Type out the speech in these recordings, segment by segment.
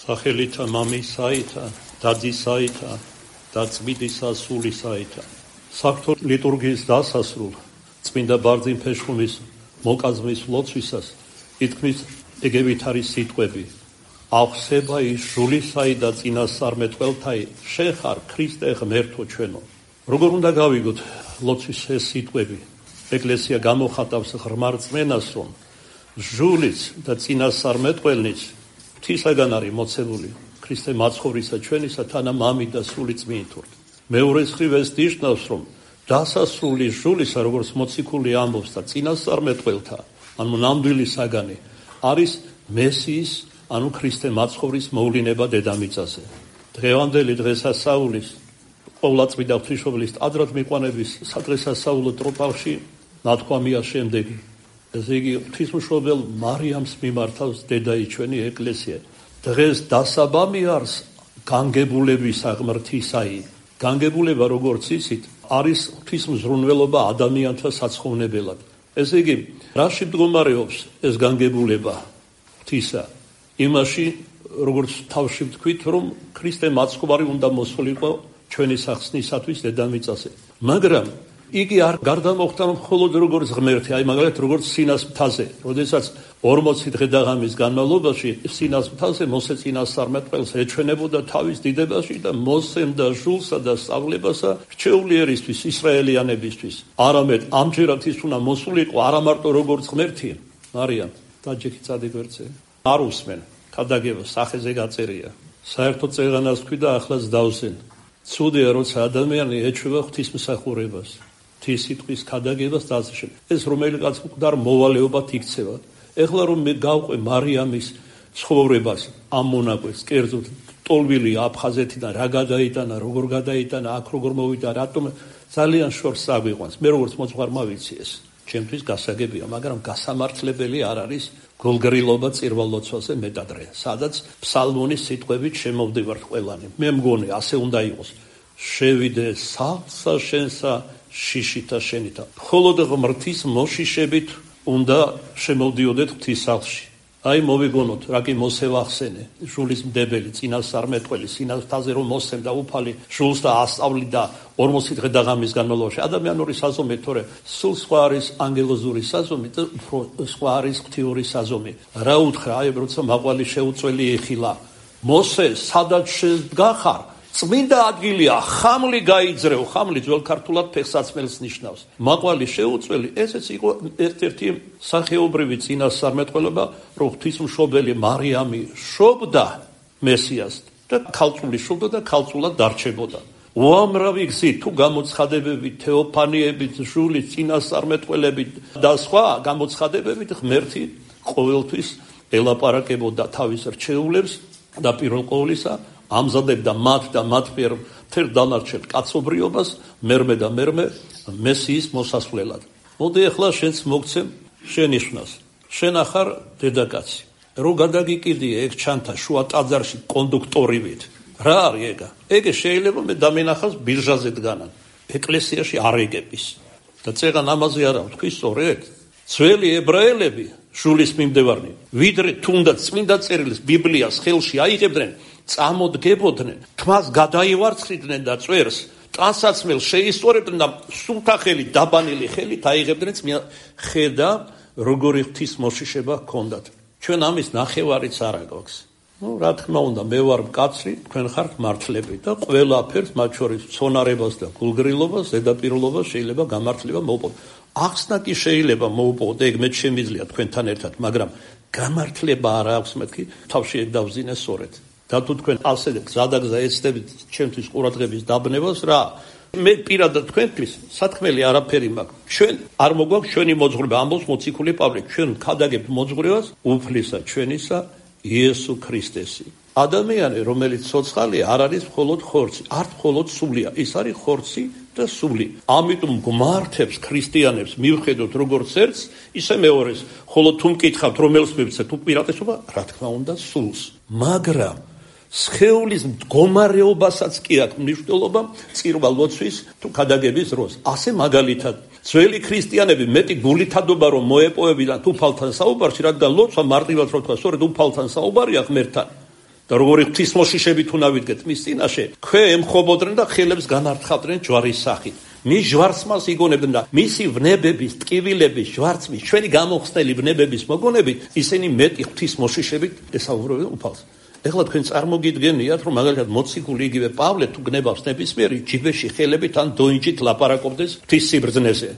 სახელითა მამისაითა, დადისაითა და წმინდისა სულისაითა. საღვთო ლიტურგიის დასასრულ წმინდა ბარძიმ ფეშხუმის მოკაზმის ლოცვისას ითქმის ეგევით არის სიტყვები: აღსება ის ჟულისაი და წინასწარმეტყველთაი, შენ ხარ ქრისტე ღმერთო ჩვენო. როგორ უნდა გავიგოთ ლოცვის ეს სიტყვები? ეკლესია გამოხატავს ღრმა რწმენას, რომ ჟულიც და წინასწარმეტყველნიც ღვთისაგან არის მოცემული ქრისტე მაცხოვრისა ჩვენისა თანა მამით და სული წმინდით. მეორე მხრივ ეს ნიშნავს, რომ დასასრული ჟულისა, როგორც მოციქული ამბობს, და წინასწარმეტყველთა, ანუ ნამდვილი საგანი არის მესიის, ანუ ქრისტე მაცხოვრის მოვლინება დედამიწაზე. დღევანდელი დღესასწაულის ყოვლადწმიდა ღვთისმშობლის ტაძრად მიყვანების სადღესასწაულო ტროპარში ნათქვამია შემდეგი: ესე იგი, ღვთისმშობელ მარიამს მიმართავს დედაიჩვენი ეკლესია. დღეს დასაბამი არის განგებულებისა ღმრთისაი. განგებულება, როგორც იცით, არის ღვთისმზრუნველობა ადამიანთა საცხოვნებელად. ესე იგი, რაში მდგომარეობს ეს განგებულება ღვთისა? იმაში, როგორც თავში ვთქვით, რომ ქრისტე მაცხოვარი უნდა მოსულიყო ჩვენი სახსნისათვის დედამიწაზე. მაგრამ იგი არ გარდამოხდა მხოლოდ როგორც ღმერთი, აი მაგალითად როგორც სინას მთაზე, როდესაც 40 დღე და ღამის განმავლობაში სინას მთაზე მოსე წინასწარმეტყველს ეჩვენებოდა თავის დიდებაში და მოსემდა ჟულსა და სწავლებასა რჩეული ერისთვის, ისრაელიანებისთვის. არამედ ამჯერად ის უნდა მოსულიყო არა მარტო როგორც ღმერთი, მარიამ დაჯექი წადიგვერდზე. არ უსმენ, ქადაგება სახეზე გაწერია. საერთო წეღანას თქვი და ახლაც დავსენ. ცუდია, როცა ადამიანი ეჩვევა ღვთისმსახურებას, ღვთის სიტყვის ქადაგებას და ასე შემდეგ. ეს რომელიღაც მკვდარ მოვალეობად იქცევა. ეხლა რომ მე გავყვე მარიამის ცხოვრებას, ამ მონაკვეთს, კერძოდ ტოლვილი აფხაზეთიდან რა გადაიტანა, როგორ გადაიტანა, აქ როგორ მოვიდა, რატომ ძალიან შორს აგვიყვანს. მე როგორც მოძღვარმა ვიცი ეს. ჩემთვის გასაგებია, მაგრამ გასამართლებელი არ არის გულგრილობა წირვალოცვაზე მეტადრე, სადაც ფსალმონის სიტყვებით შემოვდივართ ყველანი. მე მგონი ასე უნდა იყოს: შევიდე სახლსა შენსა შიშითა შენითა. მხოლოდ ღმრთის მოშიშებით უნდა შემოვდიოდეთ ღვთის სახლში. აი მოვიგონოთ, რა კი მოსევახსენე, ჟულის მდებელი, წინასწარმეტყველი, სინასთაზე რომ მოსემდა უფალი ჟულს და ასწავლიდა 40 დღე და ღამის განმავლობაში. ადამიანური საზომი, თორე სულ სხვა არის ანგელოზური საზომი და სხვა არის ღვთიური საზომი. რა უთხრა, აი როცა მაყვალი შეუწველი ეხილა, მოსე, სადაც შედგახარ, წმინდა ადგილია, ხამლი გაიძრეო. ხამლი ძველ ქართულად ფეხსაცმელს ნიშნავს. მაყვალი შეუწველი, ესეც იყო ერთ-ერთი სახეობრივი წინასწარმეტყველება, რომ ღვთისმშობელი მარიამი შობდა მესიას და ქალწული შობდა და ქალწულად დარჩებოდა. უამრავი გზით თუ გამოცხადებებით, თეოფანიებით, ჟულის წინასწარმეტყველებით და სხვა გამოცხადებებით ღმერთი ყოველთვის ელაპარაკებოდა თავის რჩეულებს და პირველ ყოვლისა ამზადებდა მათ და მათ მიერ მთელ დანარჩენ კაცობრიობას მერმე და მერმე მესიის მოსასვლელად. მოდი ახლა შენც მოგცემ შენიშვნას. შენ ახარ დედაკაცი. რო გადაგიკიდია ეგ ჩანთა შუა ტაძარში კონდუქტორივით. რა არის ეგა? ეგ შეიძლება მე დამენახავს ბირჟაზე დგანან. ეკლესიაში არ ეგების. და წეღან ამაზე არა ვთქვი სწორედ. ძველი ებრაელები ჟულის მიმდევარნი, ვიდრე თუნდაც წმინდა წერილს ბიბლიას ხელში აიღებდნენ, წამოდგებოდნენ, თმას გადაივარცხრიდნენ და წვერს ტანსაცმელს შეისწორებდნენ და სულთა ხელით, დაბანილი ხელით აიღებდნენ ხედა როგორი ღვთის მოშიშება ჰქონდათ. ჩვენ ამის ნახევარიც არ აქვს. რა თქმა უნდა, მე ვარ მკაცრი, თქვენ ხართ მართლები და ყველაფერს, მათ შორის ცონარებას და გულგრილობას, ზედაპირულობას შეიძლება გამართლება მოუპოვოთ. ახსნა კი შეიძლება მოუპოვოთ, ეგ მე შემიძლია თქვენთან ერთად, მაგრამ გამართლება არ აქვს მეთქი, თავში ეგ დავზინე სწორედ. და თუ თქვენ ასე გზადაგზა ეცდებით ჩემთვის ყურადღების დაბნევას, რა მე პირადად თქვენთვის სათქმელი არაფერი მაქვს. ჩვენ არ მოგვაქვს ჩვენი მოძღვრება, ამბობს მოციქული პავლე, ჩვენ ქადაგებთ მოძღვრებას უფლისა ჩვენისა იესო ქრისტესი. ადამიანი, რომელიც ცოცხალია, არ არის მხოლოდ ხორცი, არ მხოლოდ სულია, ის არის ხორცი და სული. ამიტომ გმართებს ქრისტიანებს მივხედოთ როგორც ერთს, ისე მეორეს. ხოლო თუ მკითხავთ რომელს მივცეთ უპირატესობა, რა თქმა უნდა სულს. მაგრამ სხეულის მდგომარეობასაც კი აქვს მნიშვნელობა წირვა-ლოცვის თუ ქადაგების დროს. ასე მაგალითად, ძველი ქრისტიანები მეტი გულითადობა რომ მოეპოვებიდან უფალთან საუბარში, რადგან ლოცვა მარტივად რო თქვა, სწორედ უფალთან საუბარია ღმერთთან. და როგორი ღვთისმოშიშებით უნდა ვიდგეთ მის წინაშე, ქვე ემხობოდნენ და ხელებს განართხავდნენ ჯვარის სახით. მის ჟვარცმას იგონებდნენ და მისი ვნებების, ტკივილების, ჟვარცმის, ჩვენი გამოხსნელი ვნებების მოგონებით ისინი მეტი ღვთისმოშიშებით ესაუბრებდნენ უფალს. ეხლა თქვენ წარმოგიდგენიათ, რომ მაგალითად მოციქული იგივე პავლე თუ გნებავს ნებისმიერი ჯიბეში ხელებით ან დოინჯით ლაპარაკობდეს ღვთის სიბრძნეზე.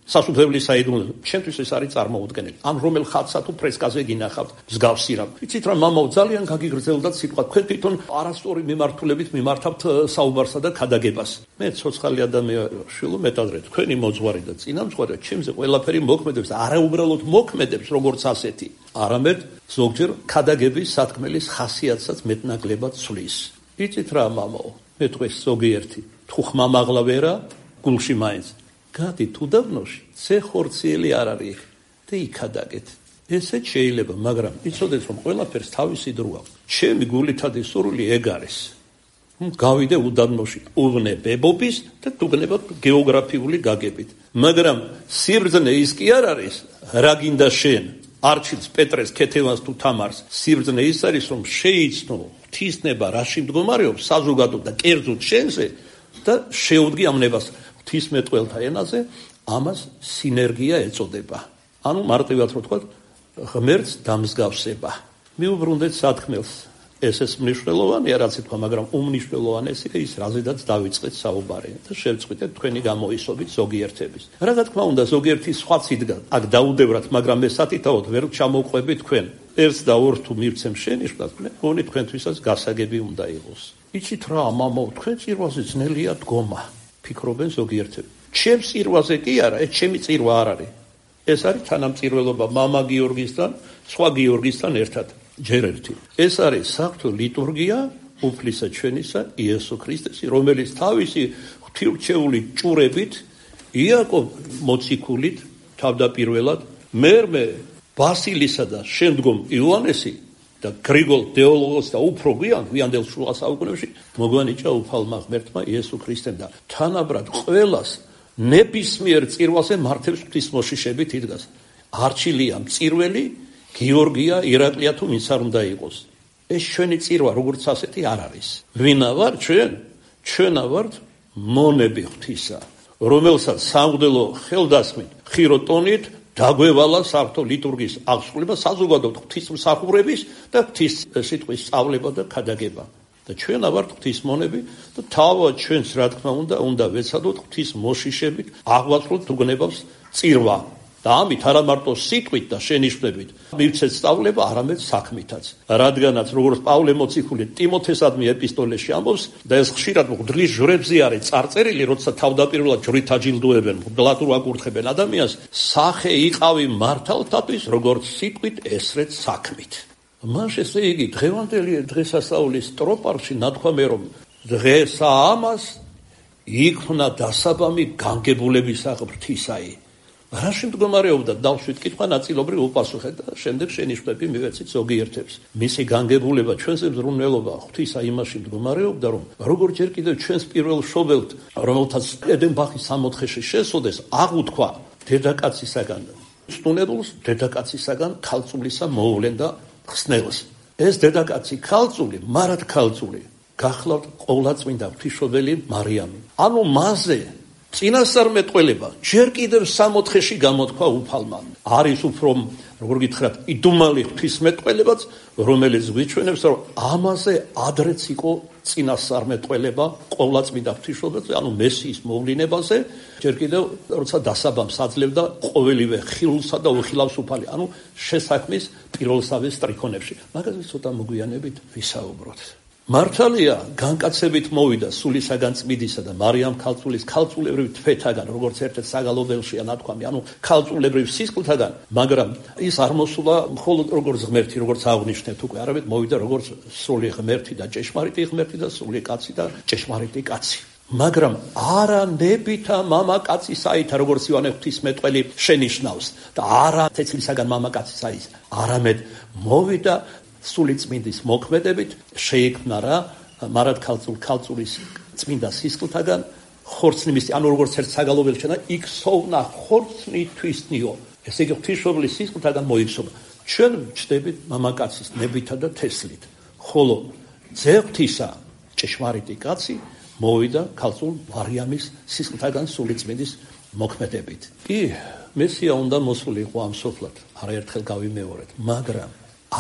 სასუფევლის საიდუმლოზე. ჩემთვის ეს არის წარმოუდგენელი. ან რომელ ხატსა თუ ფრესკაზე გინახავთ მსგავსი რამ. ვიცით რა მამაო ძალიან გაგიგრძელდა სიტყვა. თქვენ თვითონ არასწორი მიმართულებით მიმართავთ საუბარსა და ქადაგებას. მე ცოცხალი ადამიანია, შვილო მეტადრე თქვენი მოძღვარი და წინამძღვარი ჩემზე ყველაფერი მოქმედებს, არა უბრალოდ მოქმედებს როგორც ასეთი. არამედ ზოგჯერ ქადაგების სათქმელის ხასიათსაც მეტნაკლებად ცვლის. იცით რა მამაო, მე დღეს ზოგიერთი თუ ხმამაღლა ვერა, გულში მაინც გადი თუ დაბნოში, ზე ხორციელი არ არის და იქადაგეთ. ესეც შეიძლება, მაგრამ იცოდეთ რომ ყველაფერს თავისი დრო აქვს. ჩემი გულითადი სურვილი ეგ არის. გავიდე უდაბნოში უვნებებობის და თუგნებად გეოგრაფიული გაგებით. მაგრამ სიბრძნე ის კი არ არის, რა გინდა შენ, არჩილს, პეტრეს, ქეთევანს თუ თამარს. სიბრძნე ის არის, რომ შეიცნო ღვთისნება რაში მდგომარეობს საზოგადო და კერძოდ შენზე და შეუდგი ამ ნებას. ღვთისმეტყველთა ენაზე ამას სინერგია ეწოდება. ანუ მარტივად რო ვთქვათ, ღმერთს დამსგავსება. მიუბრუნდეთ სათქმელს. ესეც მნიშვნელოვანია, რაც ითქვა, მაგრამ უმნიშვნელოვანესია ის, რაზედაც დავიწყეთ საუბარი და შევწყვიტეთ თქვენი გამოისობით ზოგიერთების. რა თქმა უნდა, ზოგიერთი სხვაც იდგა, აქ დაუდევრათ, მაგრამ მე სათითაოდ ვერ ჩამოვყვები თქვენ. ერთს და ორს თუ მივცემ შენიშვნას, მგონი თქვენთვისაც გასაგები უნდა იყოს. იცით რა, მამაო, თქვენ წირვაზე ძნელია დგომა. ფიქრობენ ზოგიერთები. ჩემს წირვაზე კი არა, ეს ჩემი წირვა არ არის. ეს არის თანამწირველობა მამა გიორგისთან, სხვა გიორგისთან ერთად. ჯერ ერთი. ეს არის საღვთო ლიტურგია უფლისა ჩვენისა იესო ქრისტესი, რომელიც თავისი ღვთილრჩეული ჭურებით, იაკობ მოციქულით თავდაპირველად, მერმე ბასილისა და შემდგომ იოანესი და გრიგოლ დეოლოგოს და უფრო გვიანდელ შუა საუკუნეებში მოგვანიჭა უფალმა ღმერთმა იესო ქრისტემ და თანაბრად ყველას ნებისმიერ წირვაზე მართებს ღვთისმოშიშებით იდგას. არჩილია მწირველი, გიორგია, ირაკლია თუ ვინც არ უნდა იყოს. ეს ჩვენი წირვა როგორც ასეთი არ არის. ვინა ვარ ჩვენ? ჩვენა ვართ მონები ღვთისა, რომელსაც სამღვდელო ხელდასხმით, ხირო ტონით დაგვევალა საღვთო ლიტურგიის აღსრულება, საზოგადო ღვთისმსახურების და ღვთის სიტყვის სწავლება და ქადაგება. და ჩვენა ვართ ღვთის მონები და თავად ჩვენს რა თქმა უნდა ვეცადოთ ღვთის მოშიშებით აღვაწლოთ თუგნებავს წირვა. და ამით არა მარტო სიტყვით და შენიშვნებით მივცეთ სწავლება, არამედ საქმითაც. რადგანაც როგორც პავლე მოციქული ტიმოთესადმი ეპისტოლეში ამბობს და ეს ხშირად მღვდლის ჟვრებზე არის წარწერილი, როცა თავდაპირველად ჟვრით აჯილდოებენ, მღვდლად აკურთხებენ ადამიანს, სახე იყავი მართალთათვის, როგორც სიტყვით, ესრეთ საქმით. მაშ ესე იგი დღევანდელი დღესასწაულის სტროპარში ნათქვამე რომ დღესა ამას იქმნა დასაბამი განგებულებისა ღვთისაი. რაში მდგომარეობდა დავშვით კითხვა ნაწილობრივ უპასუხეთ და შემდეგ შენიშვნები მივეცით ზოგიერთებს. მისი განგებულება ჩვენზე მზრუნველობა ღვთისა იმაში მდგომარეობდა, რომ როგორც ჯერ კიდევ ჩვენს პირველ მშობელთ, რომელთაც ედენბახის სამოთხეში შესოდეს, აღუთქვა დედაკაცისაგან სტუნებულს, დედაკაცისაგან ქალწულისა მოუვლენდა ხსნელს. ეს დედაკაცი ქალწული, მარად ქალწული, გახლავთ ყოვლადწმინდა ღვთისმშობელი მარიამი. ანუ მასზე წინასწარმეტყველება ჯერ კიდევ სამოთხეში გამოთქვა უფალმა. არის უფრო, როგორ გითხრათ, იდუმალი ღვთისმეტყველებაც, რომელიც გვიჩვენებს, რომ ამაზე ადრეც იყო წინასწარმეტყველება ყოვლადწმინდა ღვთისმშობელზე, ანუ მესიის მოვლენებაზე, ჯერ კიდევ როცა დასაბამს აძლევდა ყოველივე ხილულსა და უხილავს უფალი, ანუ შესაქმის პირველსავე სტრიქონებში. მაგაზე ცოტა მოგვიანებით ვისაუბროთ. მართალია, განკაცებით მოვიდა სულისაგან წმიდისა და მარიამ ქალწულის ქალწულებრივ თვეთაგან, როგორც ერთ-ერთ საგალობელშია ნათქვამი, ანუ ქალწულებრივ სისხლთაგან, მაგრამ ის არ მოსულა მხოლოდ როგორც ღმერთი, როგორც აღნიშნეთ უკვე, არამედ მოვიდა როგორც სრული ღმერთი და ჭეშმარიტი ღმერთი და სრული კაცი და ჭეშმარიტი კაცი. მაგრამ არა ნებითა მამაკაცისაითა, როგორც იოანე ღვთისმეტყველი შენიშნავს და არა თეთრისაგან მამაკაცისაის, არამედ მოვიდა სული წმინდის მოქმედებით შეიქმნა რა მარად ქალწულის წმინდა სისხლთაგან ხორცნი მისი, ანუ როგორც ერთ საგალობელს შენა იქსოვნა ხორცნი თვისნიო. ესე იგი ღვთისმშობლის სისხლთაგან მოიქსოვნა. ჩვენ ვჩდებით მამაკაცის ნებითა და თესლით, ხოლო ძეღთისა ჭეშმარიტი კაცი მოვიდა ქალწულ მარიამის სისხლთაგან სულიწმინდის მოქმედებით. კი, მესია უნდა მოსულიყო ამ სოფლად, არაერთხელ გავიმეორეთ, მაგრამ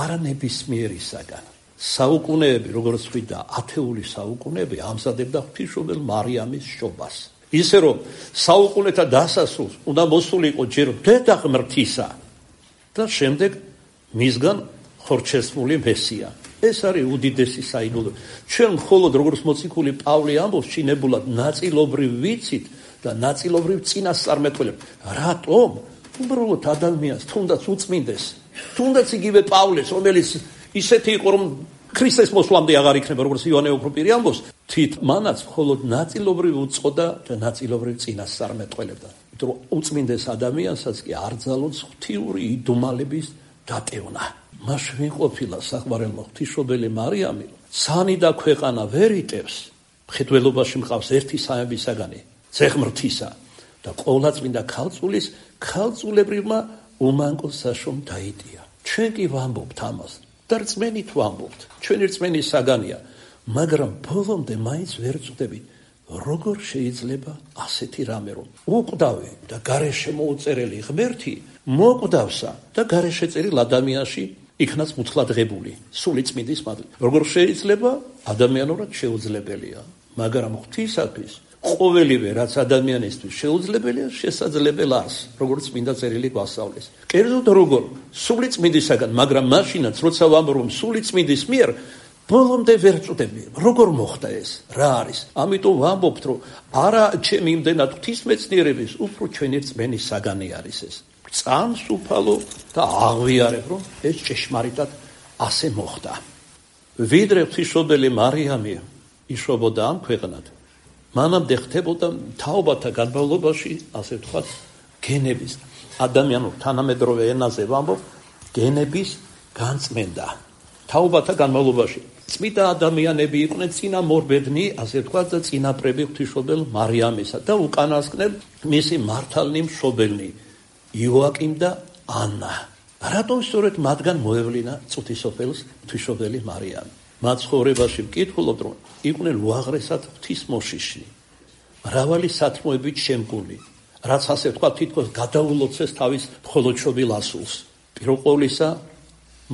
არა ნებისმიერისაგან. საუკუნეები, როგორც ვთქვიდა, ათეული საუკუნეები ამზადებდა ღვთისმშობელ მარიამის შობას. ისე რომ საუკუნეთა დასასრულს უნდა მოსულიყო ჯერ დედა ღმრთისა და შემდეგ მისგან ხორჩესმული მესია. ეს არის უდიდესი საიდუმლო. ჩვენ მხოლოდ როგორც მოციქული პავლე ამბობს, შინებულად ნაწილობრივ ვიცით და ნაწილობრივ წინასწარმეტყველებთ. რატომ? უბრალოდ ადამიანს თუნდაც უწმინდეს, თუნდაც იგივე პავლეს, რომელიც ისეთი იყო, რომ ქრისტეს მოსვლამდე აღარ იქნება, როგორც იოანე ოქროპირი ამბობს, თვით მანაც მხოლოდ ნაწილობრივ უწყოდა და ნაწილობრივ წინასწარმეტყველებდა. იმიტომ რომ უწმინდეს ადამიანსაც კი არ ძალოც ღვთიური იდუმალების დატევნა. მას ვინ ყოფილა საყვარელმა ღვთისმშობელი მარიამი, ცანი და ქვეყანა ვერ იტევს, მხედველობაში მყავს ერთი სამებისაგანი, ძეღმრთისა და ყოვლადწმინდა ქალწულის ქალწულებრივმა უმანკო საშომ დაიტია. ჩვენ კი ვამბობთ ამას და რწმენით ვამბობთ, ჩვენი რწმენის საგანია, მაგრამ ბოლომდე მაინც ვერ წვდებით, როგორ შეიძლება ასეთი რამე, რომ უკვდავი და გარეშე მოუწერელი ღმერთი მოკვდავსა და გარეშე წერილ ადამიანში იქნას მუცლადღებული სულიწმინდის მადლით. როგორ შეიძლება? ადამიანურად შეუძლებელია, მაგრამ ღვთისათვის ყოველივე რაც ადამიანისთვის შეუძლებელია, შესაძლებელ არს, როგორც წმინდა წერილი გვასწავლის. კერძოდ როგორ? სულიწმინდისაგან, მაგრამ მაშინაც როცა ვამბობ, რომ სულიწმინდის მიერ ბოლომდე ვერ წვდები. როგორ მოხდა ეს? რა არის? ამიტომ ვამბობთ, რომ არა ჩემი იმდენად ღვთისმეცნიერების, უფრო ჩვენი რწმენის საგანი არის ეს. წამს უფალო და აღვიარებ, რომ ეს ჭეშმარიტად ასე მოხდა. ვიდრე ღვთისმშობელი მარიამი იშობოდა ამ ქვეყნად, მანამდე ხდებოდა თაობათა განმავლობაში, ასე ვთქვათ, გენების, ადამიანურ თანამედროვე ენაზე ვამბობ, გენების განწმენდა. თაობათა განმავლობაში წმინდა ადამიანები იყვნენ წინამორბედნი, ასე ვთქვათ, და წინაპრები ღვთისმშობელ მარიამისა და უკანასკნელ მისი მართალნი მშობელნი იოაკიმ და ანა. რატომ სწორედ მათგან მოევლინა წუთისოფელს ღვთისმშობელი მარიამი? მათ ცხოვრებაში ვკითხულობთ, რომ იყვნენ უაღრესად ღვთისმოშიში, მრავალი სათმოებით შემკული, რაც ასე ვთქვათ, თითქოს გადაულოცეს თავის მხოლოდშობილ ასულს. პირველყოვლისა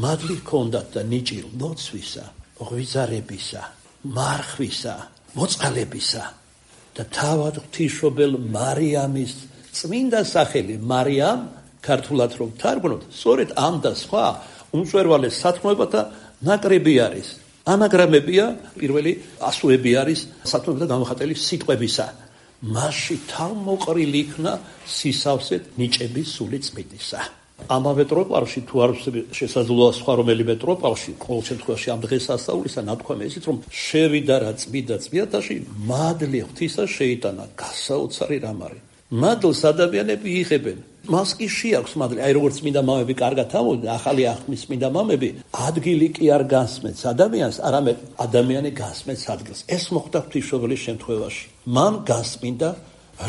მადლი ჰქონდათ და ნიჭი ლოცვისა, ღვიძარებისა, მარხვისა, მოწყალებისა და თავად ღვთისმშობელ მარიამის წმინდა სახელი მარიამ, ქართულად რომ თარგმნოთ, სწორედ ამ და სხვა უმწვერვალეს სათქმოებათა ნაკრები არის. ანაგრამებია, პირველი ასოები არის სათქმეებათა გამოხატული სიტყვებისა. მასში თავმოყრილი იქნა სისავსეთ ნიჭების სული წმინდისა. ამავე ტროპარში თუ არ შესაძლოა სხვა რომელიმე ტროპარში, ყოველ შემთხვევაში ამ დღესასწაულისა ნათქვამი ისიც, რომ შევიდა რა წმიდა წმინდაში, მადლი ღვთისა შეიტანა, გასაოცარი რამ არის. მადლს ადამიანები იღებენ. მას კი შეაქვს მადლი. აი როგორც წმინდა მამები კარგად ამბობენ, ახალი აღთქმის წმინდა მამები, ადგილი კი არ გასმენს ადამიანს, არამედ ადამიანი გასმენს ადგილს. ეს მოხდა ღვთისმშობელის შემთხვევაში. მან გასმინდა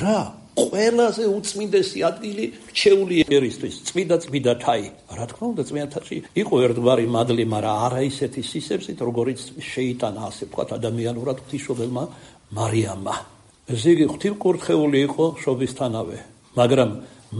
რა? ყველაზე უწმინდესი ადგილი რჩეული ერისთვის, წმინდა თაი. რა თქმა უნდა, წმინდათში იყო ერთგვარი მადლი, მაგრამ არა ისეთი სისებსით, როგორიც შეიტანა, ასე ვთქვათ, ადამიანურად ღვთისმშობელმა მარიამმა. ესე იგი, ღვთისმკურთხეული იყო შობისთანავე, მაგრამ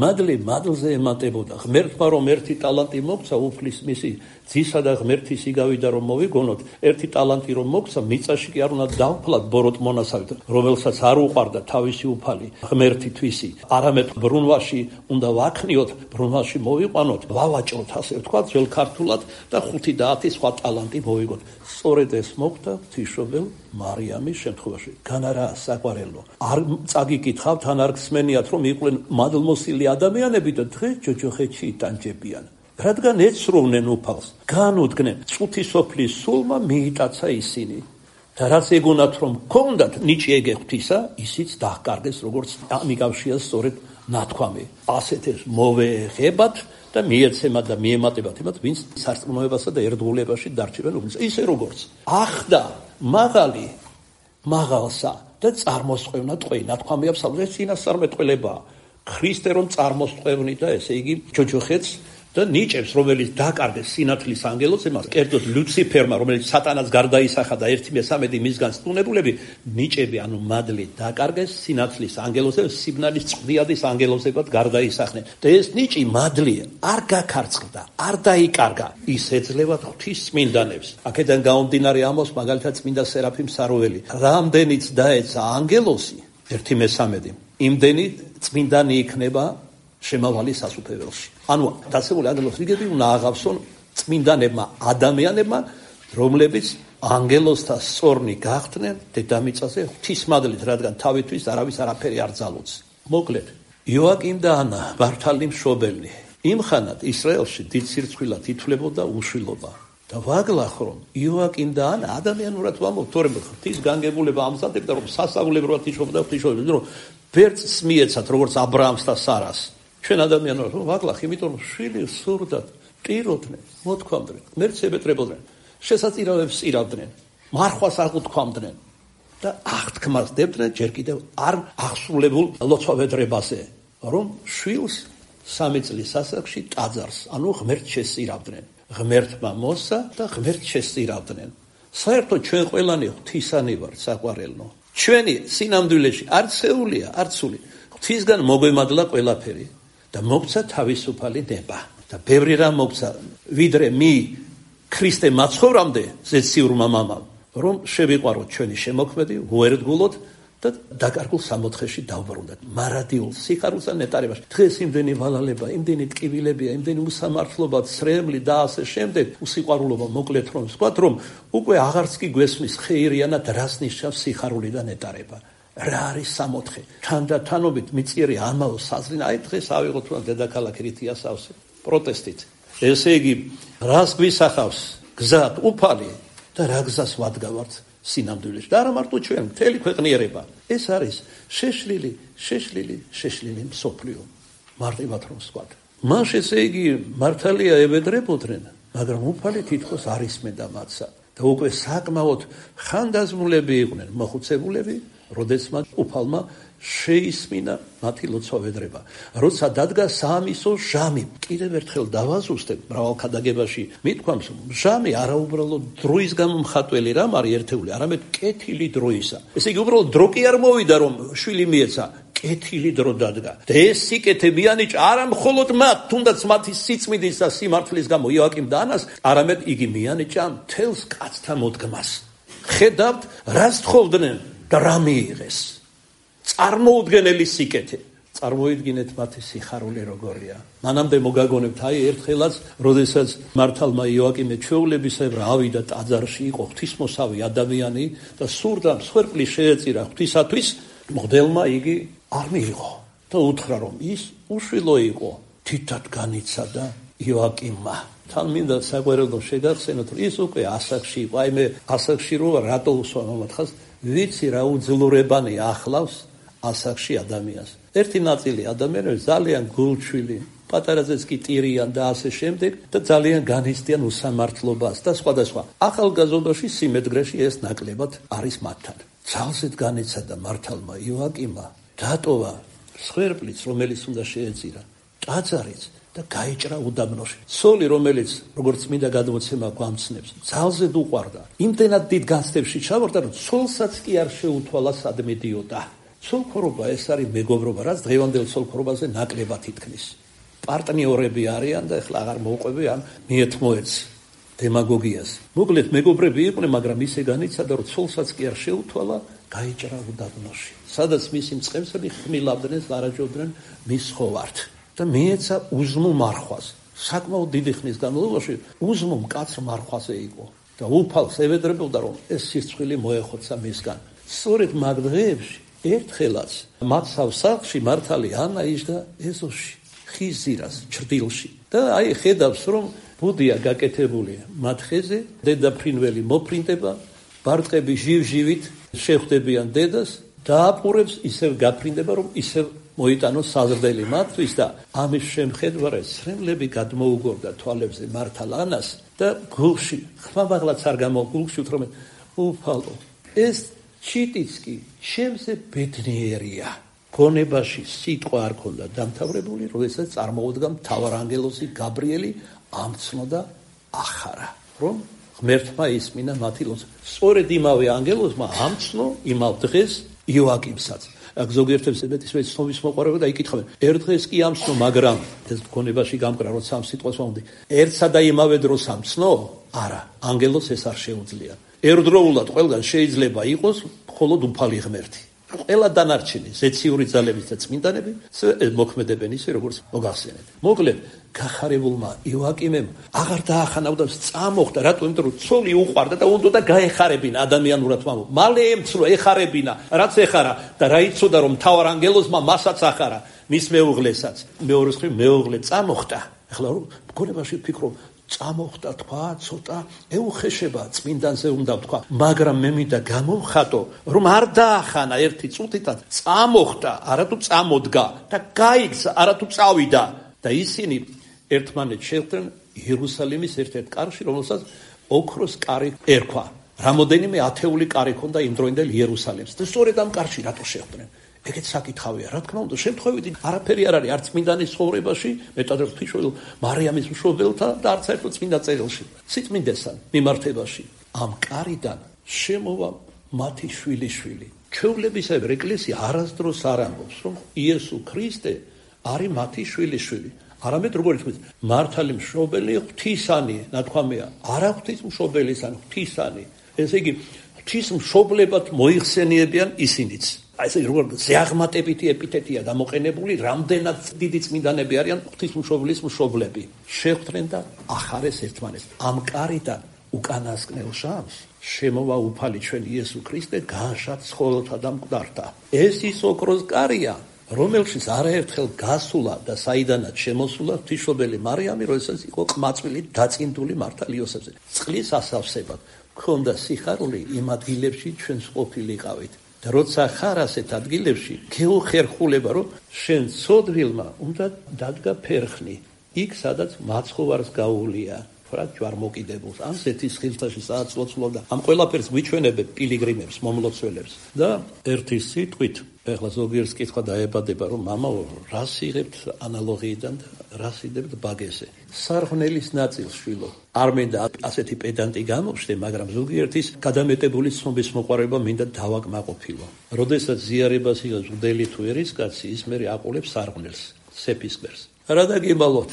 მადლი მადლზე ემატებოდა. ღმერთმა რომ ერთი ტალანტი მოგცა, უფლის მისი ძისა და ღმერთის იგავიდა რომ მოვიგონოთ, ერთი ტალანტი რომ მოგცა, მიწაში კი არ უნდა დავფლათ ბოროტ მონასავით, რომელსაც არ უყვარდა თავისი უფალი, ღმერთი თვისი, არამედ ბრუნვაში უნდა ვაქნიოთ, ბრუნვაში მოვიყვანოთ, ვავაჭროთ, ასე ვთქვათ, ძველ ქართულად და 5-10 სხვა ტალანტი მოვიგოთ. სწორედ ეს მოხდა ღვთისმშობელ მარიამის შემთხვევაში. განარა საყვარელო. არ წაგიკითხავთ, ან არ გსმენიათ, რომ იყვნენ მადლმოსილი ადამიანები და დღეს ჯოჯოხეთში იტანჯებიან. რადგან ეცროვნენ უფალს, განუდგნენ, წუთისოფლის სულმა მიიტაცა ისინი. და რაც ეგონათ, რომ ჰქონდათ ნიჭი ეგე ღვთისა, ისიც დაჰკარგეს, როგორც ამიკავშირა სწორედ ნათქვამი. ასეთ ეს მოვეღებათ და მიეცემათ და მიემატებათ იმათ, ვინც სარწმუნოებასა და ერთგულებაში დარჩებენ უფლისა. ისე როგორც ახდა მაღალი მაღალსა და წარმოსწევნა ტყვე. ნათქვამი აქვს, ეს წინასწარმეტყველებაა. ქრისტე რომ წარმოსწევნიდა, ესე იგი ჯოჯოხეთს და ნიჭებს, რომელიც დაკარგეს სინათლის ანგელოზს, იმას კერძოდ ლუციფერმა, რომელიც სატანას გარდაისახა და 1/13 მისგან სტუნებულები, ნიჭები, ანუ მადლი დაკარგეს სინათლის ანგელოზზე, სიბნალის წვდიადის ანგელოზებად გარდაისახნენ. და ეს ნიჭი მადლი არ გაქარწყლდა, არ დაიკარგა. ის ეძლევა ღვთის წმინდანებს. აქედან გამომდინარე ამბობს მაგალითად წმინდა სერაფიმ საროველი. რამდენიც დაეცა ანგელოზი 1/13, იმდენი წმინდანი იქნება შემავალი სასუფეველში. ანუ დაცემული ანგელოზის რიგები უნდა აღავსონ წმინდანებმა ადამიანებმა, რომლებიც ანგელოზთა სწორნი გახდნენ დედამიწაზე ღვთისმადლით, რადგან თავისთვის არავის არაფერი არ ძალუძს. მოკლედ, იოაკიმ და ანა, მართალი მშობელი, იმხანად ისრაელში დიდ სირცხვილად ითვლებოდა უშვილობა. და ვაგლახ რომ იოაკიმ და ანა ადამიანურად ვამბობ, თორემ ღვთის განგებულება ამზადებდა, რომ სასწაულებრივად იშობდა ღვთისმშობელი, რომ ბერწს მიეცათ, როგორც აბრაამს და სარას. ჩვენ ადამიანებს ვაგლახ, იმიტომ რომ შვილი სურდათ, ტიროდნენ, მოთქვამდნენ, ღმერთს ებეტრებოდნენ, შესაწირავებს ირავდნენ, მარხვას აღუთქვამდნენ და აღთქმას დებდნენ ჯერ კიდევ არ აღსრულებულ ლოცვავედრებაზე, რომ შვილს 3 წლის ასაკში ტაძარს, ანუ ღმერთს შესწირავდნენ. ღმერთმა მოსცა და ღმერთს შესწირავდნენ. საერთოდ ჩვენ ყველანი ღვთისანი ვართ, საყვარელნო. ჩვენი სინამდვილეში არც სეულია, არც სული. ღვთისგან მოგვემადლა ყველაფერი და მოგცა თავისუფალი ნება. და ბევრი რამ მოგცა, ვიდრე ქრისტე მაცხოვრამდე ზეციურმა მამამ, რომ შევიყვაროთ ჩვენი შემოქმედი, ვუერთგულოთ და დაკარგულ სამოთხეში დავბრუნდეთ. მარადიულ სიხარულსა ნეტარებაში. დღეს იმდენი ვალალება, იმდენი ტკივილებია, იმდენი უსამართლობა, ცრემლი და ასე შემდეგ, უსიყვარულობა, მოკლედ რომ ვთქვათ, რომ უკვე აღარც კი გვესმის ხეირიანად რას ნიშნავს სიხარული და ნეტარება. რა არის სამოთხე? თანდათანობით მიწიერი ამაო საზრინ, აი დღეს ავიღოთ რა დედაქალაქი რითია სავსე პროტესტით. ესე იგი, რას გვისახავს გზად უფალი და რა გზას ვადგავართ სინამდვილეში. და არა მარტო ჩვენ, მთელი ქვეყნიერება. ეს არის შეშლილი მსოფლიო. მარტივად რომ ვსვათ. მას ესე იგი მართალია ებედრებოდნენ, მაგრამ უფალი თითქოს არ ისმენდა მათსა. და უკვე საკმაოდ ხანდაზმულები იყვნენ მოხუცებულები, როდესაც უფალმა შეისმინა მათი ლოცვავედრება. როცა დადგა საამისო ჟამი, კიდევ ერთხელ დავაზუსტებ, მრავალ ქადაგებაში მithქვამს, ჟამი არაუბრალოდ დროის გამომხატველი რამ არის ერთეული, არამედ კეთილი დროისა. ესე იგი, უბრალოდ დრო კი არ მოვიდა, რომ შვილი მიეცა, კეთილი დრო დადგა. და ეს სიკეთე მიანიჭა არა მხოლოდ მათ, თუნდაც მათი სიწმინდის და სიმართლის გამო იოაკიმ და ანას, არამედ იგი მიანიჭა მთელს კაცთა მოდგმას. ხედავთ, რას თხოვდნენ და რა მიიღეს. წარმოუდგენელი სიკეთე. წარმოიდგინეთ მათი სიხარული როგორია. მანამდე მოგაგონებთ, აი ერთხელაც, როდესაც მართალმა იოაკიმე ჩვეულებისებრ ავიდა ტაძარში, იყო ღვთისმოსავი ადამიანი და სურდა მსხვერპლი შეეწირა ღვთისათვის, მღვდელმა იგი არ მიიღო და უთხრა, რომ ის უშვილო იყო. თითად განიცადა იოაკიმმა. თან მინდა საყვარელო შეგახსენოთ, რომ ის უკვე ასაკში იყო. აი მე ასაკში რო რატო უსვამ ამათხას, ვიცი რა უძლურებანი ახლავს ასაკში ადამიანს. ერთი ნაწილი ადამიანები ძალიან გულჩვილი, პატარაზეც კი ტირიან და ასე შემდეგ და ძალიან განიცდიან უსამართლობას და სხვადასხვა. ახალგაზრდობაში სიმედგრეში ეს ნაკლებად არის მათთან. ძალზედ განიცადა მართალმა იოაკიმმა, დატოვა მსხვერპლიც, რომელიც უნდა შეეწირა, ტაძარიც და გაიჭრა უდაბნოში. ცოლი, რომელიც როგორც მინდა გადმოცემა გვამცნებს, ძალზედ უყვარდა. იმდენად დიდ განცდებში ჩავარდა, რომ ცოლსაც კი არ შეუთვალა სად მიდიოდა. ცოლქორობა ეს არის მეგობრობა, რაც დღევანდელ ცოლქორობაზე ნაკლებად ითქმის. პარტნიორები არიან და ეხლა აღარ მოვყვები ამ მიეთმოეც დემაგოგიას. მოკლედ მეგობრები იყვნენ, მაგრამ ისე განიცადა, რომ ცოლსაც კი არ შეუთვალა, გაიჭრა უდაბნოში. სადაც მისი მწყემსები ხმილავდნენ, ლარაჯობდნენ მის ხოვართ და მიეცა უზმო მარხვას. საკმაოდ დიდი ხნის განმავლობაში უზმო მკაცრ მარხვაზე იყო და უფალს ევედრებოდა, რომ ეს სირცხვილი მოეხოცა მისგან. სწორედ მაგ დღეებში ერთხელაც მათ სახლში მართალი ანა იჯდა ეზოში, ხის ზირას, ჭრდილში და აი ხედავს, რომ ბუდია გაკეთებული მათ ხეზე, დედაფრინველი მოფრინდება, ბარტყები ჟივ-ჟივით შეხვდებიან დედას და აპურებს ისევ გაფრინდება, რომ ისევ მოიტანოს საზრდელი მათთვის და ამის შემხედვარად სრემლები გადმოუგორდა თვალებზე მართალ ანას და გულში, ხმამაღლაც არ გამოგულში უთხრობენ, უფალო, ეს ჩიტიც კი ჩემზე ბედნიერია. გონებაში სიტყვა არ ქონდა დამთავრებული, როდესაც წარმოუდგა მთავარანგელოზი გაბრიელი ამცნოდა ახარა, რომ ღმერთმა ისმინა მათი ლოცვა. სწორედ იმავე ანგელოზმა ამცნო იმავ დღეს იოაკიმსაც. აქ ზოგიერთებს მეტის ცნობის მოყარება და იკითხავენ, ერთ დღეს კი ამცნო, მაგრამ ეს გონებაში გამკრა, როცა ამ სიტყვას მომდი, ერთსა და იმავე დროს ამცნო? არა, ანგელოზს ეს არ შეუძლია. ერთდროულად ყველგან შეიძლება იყოს მხოლოდ უფალი ღმერთი. ყველა დანარჩენი ზეციური ძალების და წმინდანები მოქმედებენ ისე, როგორც მოგახსენეთ. მოკლედ, გახარებულმა იოაკიმემ აღარ დაახანავდა, წამოხდა, რატომ? იმიტომ რომ ცოლი უყვარდა და უნდა გაეხარებინა ადამიანურად მამო. მალე ემცნო, ეხარებინა, რაც ეხარა და რა იცოდა რომ მთავარ ანგელოზმა მასაც ახარა, მის მეუღლესაც. მეორეს მხრივ მეუღლე წამოხდა. ახლა რომ გონებაში ვფიქრობ, წამოხდა თქვა, ცოტა ეუხეშება წმინდანზე უნდა თქვა, მაგრამ მე მინდა გამოვხატო, რომ არ დაახანა ერთი წუთითაც, წამოხდა, არათუ წამოდგა და გაიქცა, არათუ წავიდა და ისინი ერთმანეთს შეხვდნენ იერუსალიმის ერთ-ერთ კარში, რომელსაც ოქროს კარი ერქვა. რამოდენიმე ათეული კარი ჰქონდა იმ დროინდელ იერუსალიმს და სწორედ ამ კარში რატო შეხვდნენ? ეგეც საკითხავია, რა თქმა უნდა, შემთხვევით არაფერი არ არის არც წმინდანის ცხოვრებაში, მეტად ღვთისმშობელ მარიამის მშობელთა და არც ერთ წმინდა წერილში. სიწმინდესთან მიმართებაში ამ კარიდან შემოვა მათი შვილიშვილი. ჩვეულებისებრ ეკლესია არასდროს არ ამბობს, რომ იესო ქრისტე არის მათი შვილიშვილი. არამედ როგორც ვთქვით, მართალი მშობელი ღვთისანი, ნათქვამია, არა ღვთისმშობელისანი, ღვთისანი. ესე იგი, ღვთისმშობლებად მოიხსენიებიან ისინიც. ესე როგორ ზეაღმატებითი ეპითეტია გამოყენებული, რამდენად დიდი წმინდანები არიან ღვთისმშობლის მშობლები. შეხვდნენ და ახარეს ერთმანეთს. ამ კარიდან უკანასკნელ შამს შემოვა უფალი ჩვენ იესო ქრისტე, განშად ცხოველთა და მკვდართა. ეს ის ოქროს კარია, რომელშიც არაერთხელ გასულა და საიდანაც შემოსულა ღვთისმშობელი მარიამი, როდესაც იყო ყმაწვილი დაწინდული მართალ იოსებზე. წყლის ასავსებად ქონდა სიხარული იმ ადგილებში ჩვენს ყოფილიყავით. და როცა ხარ ასეთ ადგილებში, გეუხერხულება, რომ შენ ცოდვილმა უნდა დადგა ფერხნი, იქ სადაც მაცხოვარს გაუვლია, რა ჯვარმოკიდებულს, ან ზეთის ხილთაში სადაც ლოცულობდა. ამ ყველაფერს ვიჩვენებებ პილიგრიმებს, მომლოცველებს. და ერთი სიტყვით, ეხლა ზოგიერთ კითხვა დაებადება, რომ მამაო, რას იღებთ ანალოგიიდან და რას იღებთ ბაგესე? სარღვნელის ნაწილს შვილო. არ მინდა ასეთი პედანტი გამოვშდე, მაგრამ ზოგიერთის გადამეტებული ცნობის მოყარება მინდა დავაკმაყოფილო. როდესაც ზიარებას იღებს მღვდელი თუ ერისკაცი, ის მერე აყოლებს სარღვნელს, სეფისკვერს. რა დაგიმალოთ?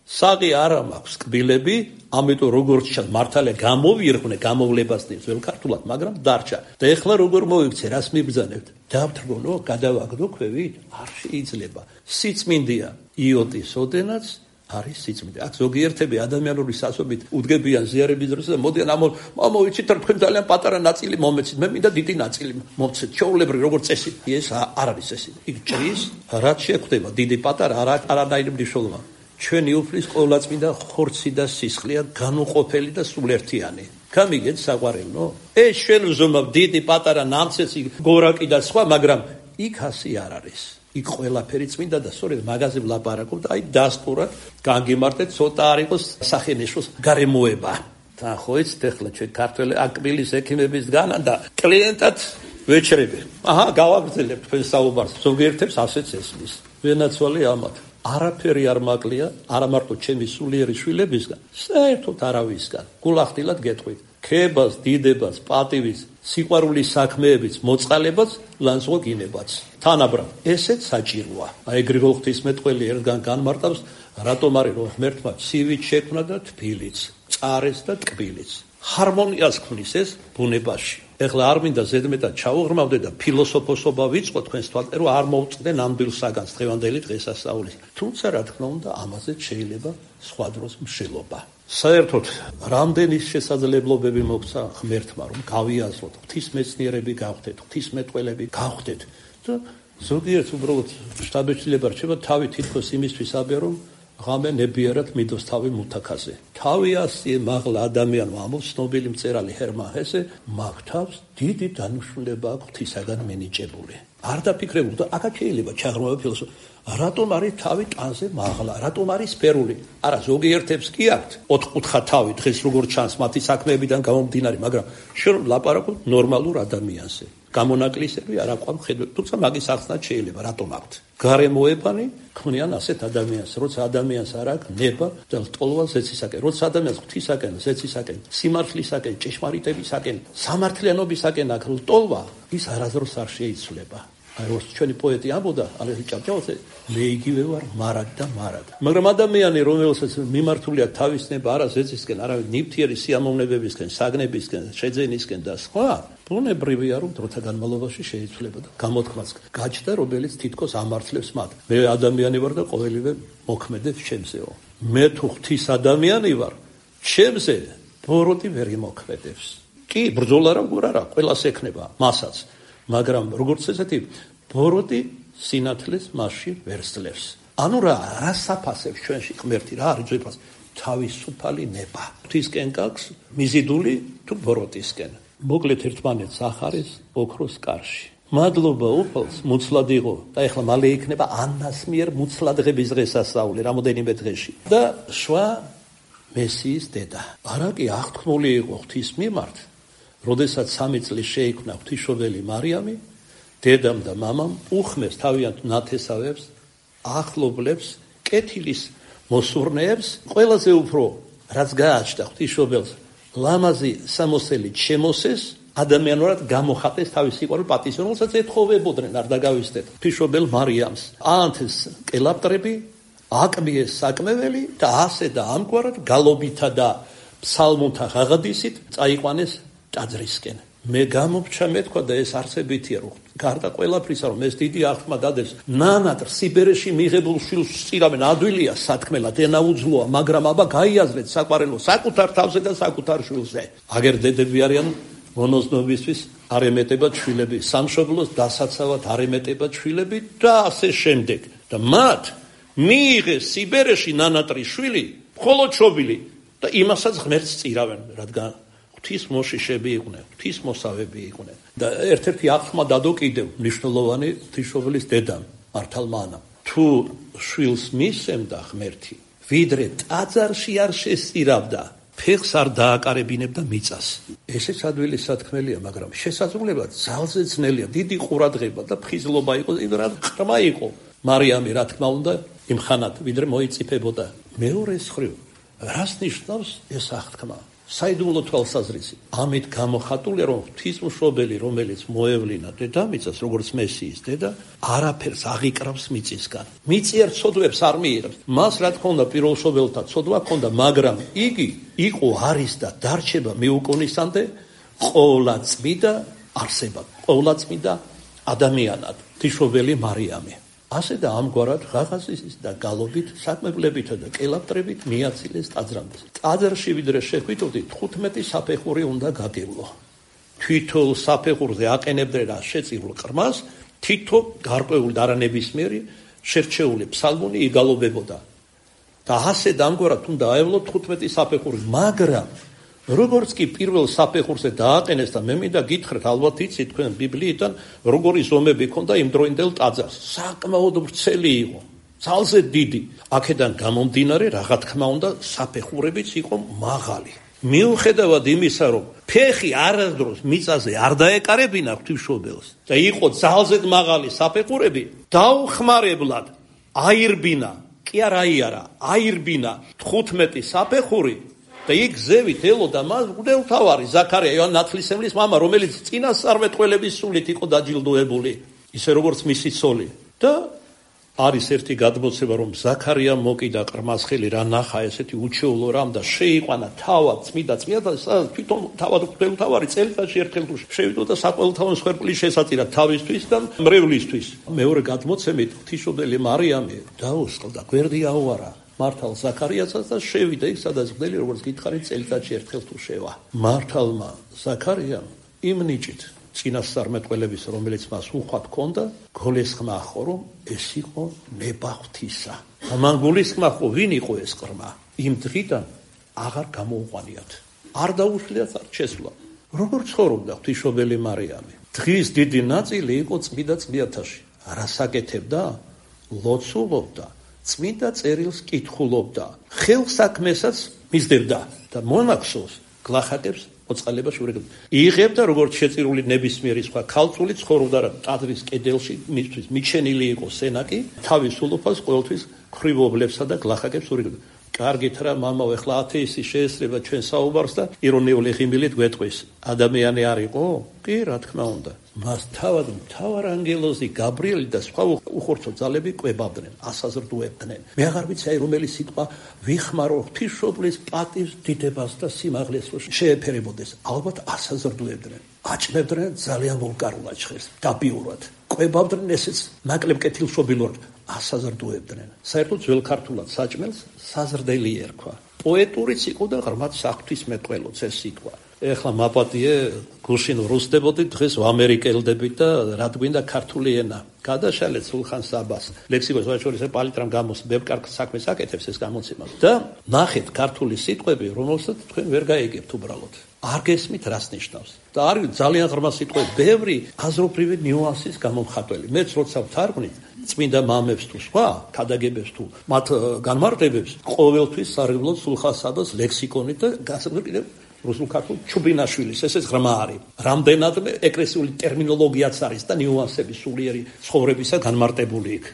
საყი არ მაქვს კბილები, ამიტომ როგორც ჩანს მართალია გამოვირხვნე გამოვლებას ძველ ქართულად, მაგრამ დარჩა. და ეხლა როგორ მოიქცე, რას მიბრძანებთ? დავთრგონო, გადავაგდო ქვევით? არ შეიძლება. სიწმინდეა იოტის ოდენაც არის სიწმინდე. აქ ზოგიერთები ადამიანური სასობით უდგებიან ზიარების დროს და მოდიან მამო ვიცით რა თქვენ ძალიან პატარა ნაწილი მომეცით, მე მინდა დიდი ნაწილი მომცეთ. ჩვეულებრივ როგორც წესი, ეს არ არის წესი. იქ ჭრის, რაც შეხვდება დიდი პატარა არანაირი მნიშვნელობა. ჩვენი უფლის ყოვლადწმინდა ხორცი და სისხლია, განუყოფელი და სულერთიანი. გამიგეთ საყვარელო? ეს ჩვენ ვზომავ დიდი პატარა ნამცეცი, გორაკი და სხვა, მაგრამ იქ ასე არ არის. იქ ყველაფერი წმინდა და სწორედ მაგაზე ვლაპარაკობ და აი დასტურად განგიმარტეთ, ცოტა არ იყოს სახენეშოს გარემოება. თან ხო იცით ახლა ჩვენ ქართველი აკბილის ექიმების განა და კლიენტად ვეჩრები. აჰა, გავაგრძელებ თქვენ საუბარს. ზოგიერთებს ასეც ესმის. ვენაცვალე ამათ. არაფერი არ მაკლია, არა მარტო ჩემი სულიერი შვილებისგან, საერთოდ არავისგან. გულახდილად გეტყვით. ქებას, დიდებას, პატივის, სიყვარულის საქმეების მოწყალებაც, ლანძღვა გინებაც. თანაბრად, ესეც საჭიროა. აი გრიგოლ ღვთისმეტყველი ერთგან განმარტავს, რატომ არის რომ ღმერთმა ცივით შექმნა და თბილიც, წარეს და ტკბილიც. ჰარმონიას ქმნის ეს ბუნებაში. ეხლა არ მინდა ზედმეტად ჩავუღრმავდე და ფილოსოფოსობა ვიწყო თქვენს თვალყე, რომ არ მოვწყდე ნამდვილ საგანს დღევანდელი დღესასწაულის. თუმცა რა თქმა უნდა, ამაზე შეიძლება სხვა დროს მშელობა. საერთოდ რამდენი შესაძლებლობები მოგცა ღმერთმა, რომ გავიაზროთ, ღვთისმეცნიერები გავხდეთ, ღვთისმეტყველები გავხდეთ და ზოგიერთ უბრალოდ შტაბეჭდილება რჩება თავი თითქოს იმისთვის აბია, რომ ღამე ნებიერად მიდოს თავი მუთაქაზე. თავი ასიე მაღლა ადამიანმა ამბობს ცნობილი მწერალი ჰერმან ჰესე, მაგ თავს დიდი დანიშნულება აქვს ღვთისაგან მინიჭებული. არ დაფიქრებულ და აქაც შეიძლება ჩაღრმავა ფილოსოფია. რატომ არის თავი ტანზე მაღლა? რატომ არის სფერული? არა, ზოგიერთებს კი აქვთ ოთხკუთხა თავი, დღეს როგორც ჩანს მათი საქმეებიდან გამომდინარე, მაგრამ შენ ლაპარაკობ ნორმალურ ადამიანზე. გამონაკლისები არ აყვავ ხედვები, თუმცა მაგის ახსნაც შეიძლება, რატომ აქვთ. გარემოებანი ქმნიან ასეთ ადამიანს, როცა ადამიანს არ აქვს ნება და ლტოლვა ზეცისაკენ, როცა ადამიანს ღვთისაკენ, ზეცისაკენ, სიმართლისაკენ, ჭეშმარიტებისაკენ, სამართლიანობისაკენ აქვს ლტოლვა, ის არასდროს არ შეიცვლება. აი როგორც ჩვენი პოეტი ამბობდა, ალექსი ჭავჭავაძე, მე იგივე ვარ მარად და მარად. მაგრამ ადამიანი, რომელსაც მიმართულია თავის ნება არა ზეცისკენ, არავინ ნივთიერი სიამოვნებებისკენ, საგნებისკენ, შეძენისკენ და სხვა, ბუნებრივია, რომ დროთა განმავლობაში შეიცვლება და გამოთქმაც გაჩნდა, რომელიც თითქოს ამართლებს მათ. მე ადამიანი ვარ და ყოველივე მოქმედებს ჩემზეო. მე თუ ღვთის ადამიანი ვარ, ჩემზე ბოროტი ვერ იმოქმედებს. კი, ბრძოლა რა გურ არა, ყველას ექნება, მასაც. მაგრამ როგორც ესეთი ბოროტი სინათლეს მასში ვერ სძლევს. ანუ რა საფასებს ჩვენში ღმერთი, რა არის ძვირფას? თავისუფალი ნება. ღვთისკენ გაქვს მიზიდული თუ ბოროტისკენ. მოკლედ ერთმანეთს ახარეს ოქროს კარში. მადლობა უფალს, მუცლად იღო და ეხლა მალე იქნება ანას მიერ მუცლადღების დღესასწაული რამოდენიმე დღეში. და შვა მესიის დედა. არა კი აღთქმული იყო ღვთის მიმართ, როდესაც 3 წლის შეიქმნა ღვთისმშობელი მარიამი, დედამ და მამამ უხმეს თავიანთ ნათესავებს, ახლობლებს, კეთილის მოსურნეებს, ყველაზე უფრო რაც გააჩნდა ღვთისმშობელს, ლამაზი სამოსელით შემოსეს, ადამიანურად გამოხატეს თავის სიყვარული პატივს, რომელსაც ეთხოვებოდნენ, არ დაგავიწყდეთ. ღვთისმშობელ მარიამს აანთეს კელაპტრები, აკმიეს საკმეველი და ასე და ამგვარად გალობითა და ფსალმუნთა ღაღადისით წაიყვანეს ტაძრისკენ. მე გამომჩა მეთქვა და ეს არსებითია, რომ გარდა ყველაფრისა, რომ ეს დიდი აღთქმა დადეს, ნანატრ სიბერეში მიღებულ შვილს სწირავენ, ადვილია სათქმელად, ენაუძლოა, მაგრამ აბა გაიაზრეთ საყვარელო საკუთარ თავზე და საკუთარ შვილზე. აგერ დედები არიან მონოზნობისთვის არ ემეტებათ შვილები, სამშობლოს დასაცავად არ ემეტებათ შვილები და ასე შემდეგ. და მათ მიიღეს სიბერეში ნანატრის შვილი, მხოლოდ შობილი და იმასაც ღმერთს სწირავენ, რადგან ღვთის მოშიშები იყვნენ, ღვთის მოსავები იყვნენ. და ერთ-ერთი აღთქმა დადო კიდევ მნიშვნელოვანი ღვთისმშობლის დედამ, მართალმა ანამ. თუ შვილს მისცემდა ღმერთი, ვიდრე ტაძარში არ შესწირავდა, ფეხს არ დააკარებინებდა მიწას. ესეც ადვილი სათქმელია, მაგრამ შესაძლებლად ძალზე ძნელია, დიდი ყურადღება და ფხიზლობა იყო, რა ყრმა იყო მარიამი, რა თქმა უნდა, იმხანად, ვიდრე მოიწიფებოდა. მეორე მხრივ, რას ნიშნავს ეს აღთქმა? საიდუმლო თვალსაზრისი. ამით გამოხატულია, რომ ღვთისმშობელი, რომელიც მოევლინა დედამიწას, როგორც მესიის დედა, არაფერს აღიკრავს მიწისგან. მიწი ერთ ცოდვებს არ მიიღებს. მას რა თქმა უნდა პირველშობელთა ცოდვა ჰქონდა, მაგრამ იგი იყო, არის და დარჩება მეუკუნისამდე ყოვლადწმიდა არსებად, ყოვლადწმიდა ადამიანად, ღვთისმშობელი მარიამი. ასე და ამგვარად ღაღაზის და გალობით, საკმებლებითა და კელაპტრებით მიაცილეს ტაძრამდე. ტაძარში ვიდრე შეხვიდოდით, 15 საფეხური უნდა გაგევლო. თითოეულ საფეხურზე აყენებდნენ რა შეწირულ ყრმას, თითო გარკვეული არანებისმიერი შერჩეული ფსალმუნი იგალობებოდა. და ასე და ამგვარად უნდა აევლო 15 საფეხური, მაგრამ როგორც კი პირველ საფეხურზე დააყენეს და მე მინდა გითხრათ, ალბათ იცით თქვენ ბიბლიიდან, როგორი ზომები ჰქონდა იმ დროინდელ ტაძარს. საკმაოდ ვრცელი იყო, ძალზე დიდი. აქედან გამომდინარე, რა თქმა უნდა, საფეხურებიც იყო მაღალი. მიუხედავად იმისა, რომ ფეხი არასდროს მიწაზე არ დაეკარებინა ღვთისმშობელს და იყო ძალზე მაღალი საფეხურები, დაუხმარებლად აირბინა, კი არა აიარა, აირბინა 15 საფეხური. და იქ ზევით ელოდა მას მღვდელმთავარი ზაქარია, იოანე ნათლისმცემლის მამა, რომელიც წინასწარმეტყველების სულით იყო დაჯილდოებული, ისე როგორც მისი ცოლი. და არის ერთი გადმოცემა, რომ ზაქარია მოკიდა ყრმას ხელი, რა ნახა ესეთი უჩვეულო რამ და შეიყვანა თავად წმიდა და თვითონ თავად მღვდელმთავარი წელიწადში ერთხელ თუ შევიდოდა საყოველთაო მსხვერპლის შესაწირად თავისთვის და მრევლისთვის. მეორე გადმოცემით ღვთისმშობელი მარიამი დაუსყლდა, გვერდი აუარა მართალ ზაქარიასაც და შევიდა იქ, სადაც მღვდელი, როგორც გითხარით, წელიწადში ერთხელ თუ შევა. მართალმა ზაქარიამ იმ ნიჭით წინასწარმეტყველების, რომელიც მას უხვად ჰქონდა, გულისხმა ხო, რომ ეს იყო ნება ღვთისა. მან გულისხმა ხო, ვინ იყო ეს ყრმა? იმ დღიდან აღარ გამოუყვანიათ. არ დაუშლიათ, არ შესვლა. როგორ ცხოვრობდა ღვთისმშობელი მარიამი? დღის დიდი ნაწილი იყო წმიდა წმიათაში. რასაკეთებდა? ლოცულობდა. წმინდა წერილს კითხულობდა, ხელსაქმესაც მისდევდა და მონახსოვს გლახაკებს მოწყალებაში ურეგებდა. იღებდა როგორც შეწირული ნებისმიერი სხვა ქალწული ცხოვრობდა ტაძრის კედელში, მისთვის მიჩენილი იყო სენაკი, თავის სულუფას ყოველთვის ქრივობლებსა და გლახაკებს ურეგებდა. კარგით რა მამაო, ეხლა ათეისტი შეესწრება ჩვენ საუბარს და ირონიული ღიმილით გვეტყვის. ადამიანი არ იყო? კი, რა თქმა უნდა. მას თავად მთავარ ანგელოზი გაბრიელი და სხვა უხორცო ძალები კვებავდნენ, ასაზრდუებდნენ. მე აღარ ვიცი აი რომელი სიტყვა ვიხმარო ღვთისმშობლის პატივს, დიდებას და სიმაღლეს შეეფერებოდეს. ალბათ ასაზრდუებდნენ. აჭმევდნენ ძალიან ვულგარულად ჟღერს, დაბიურად. კვებავდნენ ესეც ნაკლებ კეთილშობილურად. ასაზრდუებდნენ. საერთოდ ძველ ქართულად საჭმელს საზრდელი ერქვა. პოეტურიც იყო და ღრმად საღვთისმეტყველოც ეს სიტყვა. ეხლა მაპატიე გუშინ რუსდებოდით, დღეს ვამერიკელდებით და რა გვინდა ქართული ენა. გადაშალეთ სულხან საბას. ლექსიკოს ვაჩორის პალიტრამ გამოს ბებკარგ საქმეს აკეთებს ეს გამოცემა. და ნახეთ ქართული სიტყვები, რომელსაც თქვენ ვერ გაიგებთ უბრალოდ. არ გესმით რას ნიშნავს. და არის ძალიან ღრმა სიტყვები, ბევრი აზრობრივი ნიუანსის გამომხატველი. მეც როცა ვთარგმნით წმინდა მამებს თუ სხვა ქადაგებებს თუ მათ განმარტებებს, ყოველთვის სარგებლობ სულხან საბას ლექსიკონით და გასაგებია კიდევ რუსულ ქართულ ჩუბინაშვილის ესეც ღრმა არის. რამდენადმე ეკლესიური ტერმინოლოგიაც არის და ნიუანსები სულიერი ცხოვრებისა განმარტებული იქ.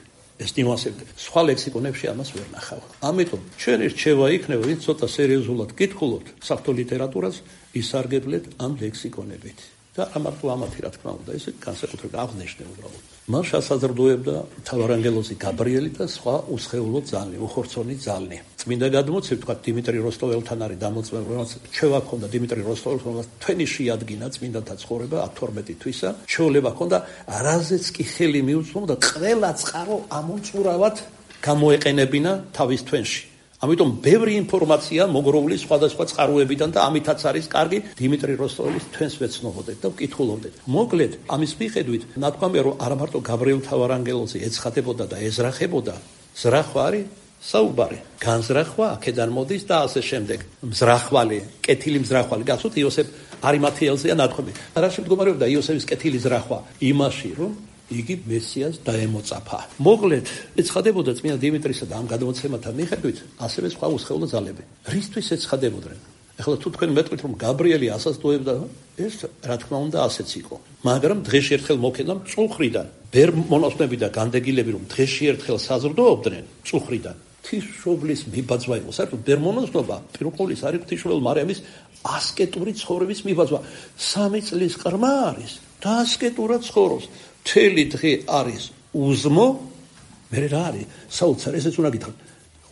ეს ნიუანსები სხვა ლექსიკონებში ამას ვერ ნახავ. ამიტომ ჩვენი რჩევა იქნება, ვინც ცოტა სერიოზულად გითხულობთ საღვთო ლიტერატურას, ისარგებლეთ ამ ლექსიკონებით. და ამარტო ამათი რა თქმა უნდა, ესე განსაკუთრებით აღნიშნე უბრალოდ. მას შესაძლოებდა მთავარანგელოზი გაბრიელი და სხვა უსხეულო ძალი, უხორცონი ძალი. წმინდა გადმოცემით, თქვა დიმიტრი როსტოველთან არის დამოწმებული, რომელიც ჩვევა ჰქონდა დიმიტრი როსტოველთან, თქვენი შეადგინა წმინდათა ცხოვრება 12 თვისა, ჩვეულება ჰქონდა, რაზეც კი ხელი მიუწვდომ და ყველა წყარო ამომწურავად გამოეყენებინა თავის თვენში. ამიტომ ბევრი ინფორმაცია მოგროვილი სხვადასხვა წყაროებიდან და ამითაც არის კარგი დიმიტრი როსტოველის თვენს ვეცნობოდეთ და ვკითხულობდეთ. მოკლედ, ამის მიხედვით, ნათქვამია, რომ არა მარტო გაბრიელ მთავარანგელოზი ეცხადებოდა და ეზრახებოდა, ზრახვა არის საუბარი. განზრახვა აქედან მოდის და ასე შემდეგ. მზრახვალი, კეთილი მზრახვალი, გახსოვთ იოსებ არიმათეელზეა ნათქვამი. რა შემდგომარეობდა იოსების კეთილი ზრახვა? იმაში, რომ იგი მესიას დაემოწაფა. მოკლედ, ეცხადებოდა წმინდა დიმიტრისა და ამ გადმოცემათა მიხედვით, ასევე სხვა უსხეულო ძალები. რისთვის ეცხადებოდნენ? ეხლა თუ თქვენ მეტყვით, რომ გაბრიელი ასაზრდუებდა, ეს რა თქმა უნდა ასეც იყო. მაგრამ დღეში ერთხელ მოქედა მწუხრიდან. ვერ მონაცვლეები და განდეგილები, რომ დღეში ერთხელ საზრდოობდნენ მწუხრიდან. ღვთისმშობლის მიბაძვა იყო. საერთოდ ვერ მონაცვლობა პირუკოლის არის ღვთისმშობელ მარიამის ასკეტური ცხოვრების მიბაძვა. 3 წლის ყრმა არის და ასკეტურად ცხოვრობს. მთელი დღე არის უზმო, მე რა არის საოცარ, ესეც უნდა გითხრათ.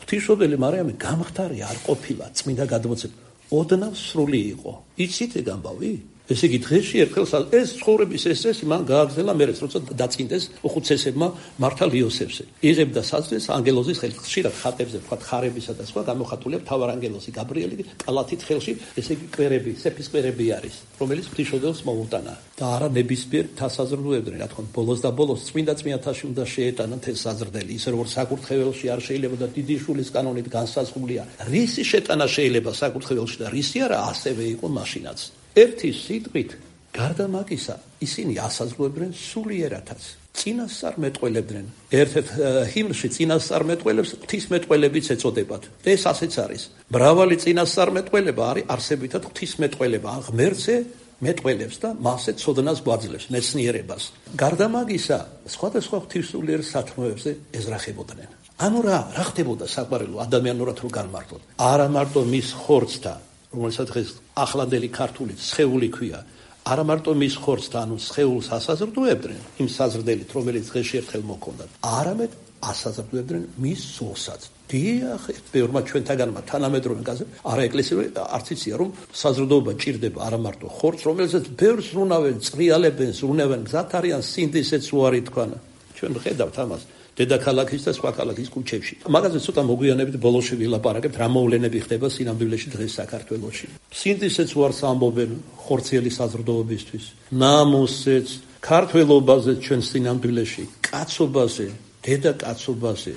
ღვთისმშობელი მარიამი გამხდარი არ ყოფილა წმინდა გადმოცემით. ოდნავ სრული იყო. იცით ეგ ამბავი? ესე იგი დღეში ერთხელ ეს ცხოვრების ესესი მან გააგრძელა მერეც, როცა დაწინდეს უხუცესებმა მართალ იოსებსე. იღებდა საზრდელს ანგელოზის ხელში, ხშირად ხატებზე ვთქვათ ხარებისა და სხვა გამოხატულია მთავარანგელოზი გაბრიელი კალათით ხელში, ესე იგი კვერები, სეფის კვერები არის, რომელიც ღვთისმშობელს მოუტანა. და არა ნებისმიერ თასაზრდუებდნენ, რა თქმა უნდა, ბოლოს და ბოლოს წმინდათაში უნდა შეეტანათ ეს საზრდელი, ისე როგორც საკურთხეველში არ შეიძლება და დიდი შულის კანონით განსაზღვრულია. რისი შეტანა შეიძლება საკურთხეველში და რისი არა, ასევე იყო მაშინაც. ერთი სიტყვით, გარდა მაგისა, ისინი ასაზრდუებდნენ სულიერათაც. წინასწარმეტყველებდნენ. ერთ-ერთ ჰიმნში წინასწარმეტყველებს ღვთისმეტყველებიც ეწოდებათ. ეს ასეც არის. მრავალი წინასწარმეტყველება არის არსებითად ღვთისმეტყველება, ღმერთზე მეტყველებს და მასზე ცოდნას გვაძლევს, მეცნიერებას. გარდა მაგისა, სხვადასხვა ღვთისმსულიერ სათქმეებზე ეზრახებოდნენ. ანუ რა ხდებოდა საყვარელო ადამიანურად რო განმარტოთ? არა მარტო მის ხორცთა, რომელსაც დღეს ახლანდელი ქართულით სხეული ქვია, არა მარტო მის ხორცთა, ანუ სხეულს ასაზრდუებდნენ იმ საზრდელით, რომელიც დღეში ერთხელ მოქონდათ, არამედ ასაზრდუებდნენ მის სულსაც. დიახ, ბევრმა ჩვენთაგანმა თანამედროვე არა ეკლესიური არც იცია, რომ საზრდოობა ჭირდება არა მარტო ხორცს, რომელსაც ბევრს ზრუნავენ, წრიალებენ, ზრუნავენ, გზად არიან სინდისეც უარი თქვანა. ჩვენ ხედავთ ამას დედაქალაქის და სხვა ქალაქის ქუჩებში. მაგაზე ცოტა მოგვიანებით ბოლოში ვილაპარაკებთ, რა მოვლენები ხდება სინამდვილეში დღეს საქართველოში. სინდისეც უარს ამბობენ ხორციელი საზრდოობისთვის, ნამუსეც, ქართველობაზე ჩვენ სინამდვილეში, კაცობაზე, დედაკაცობაზე,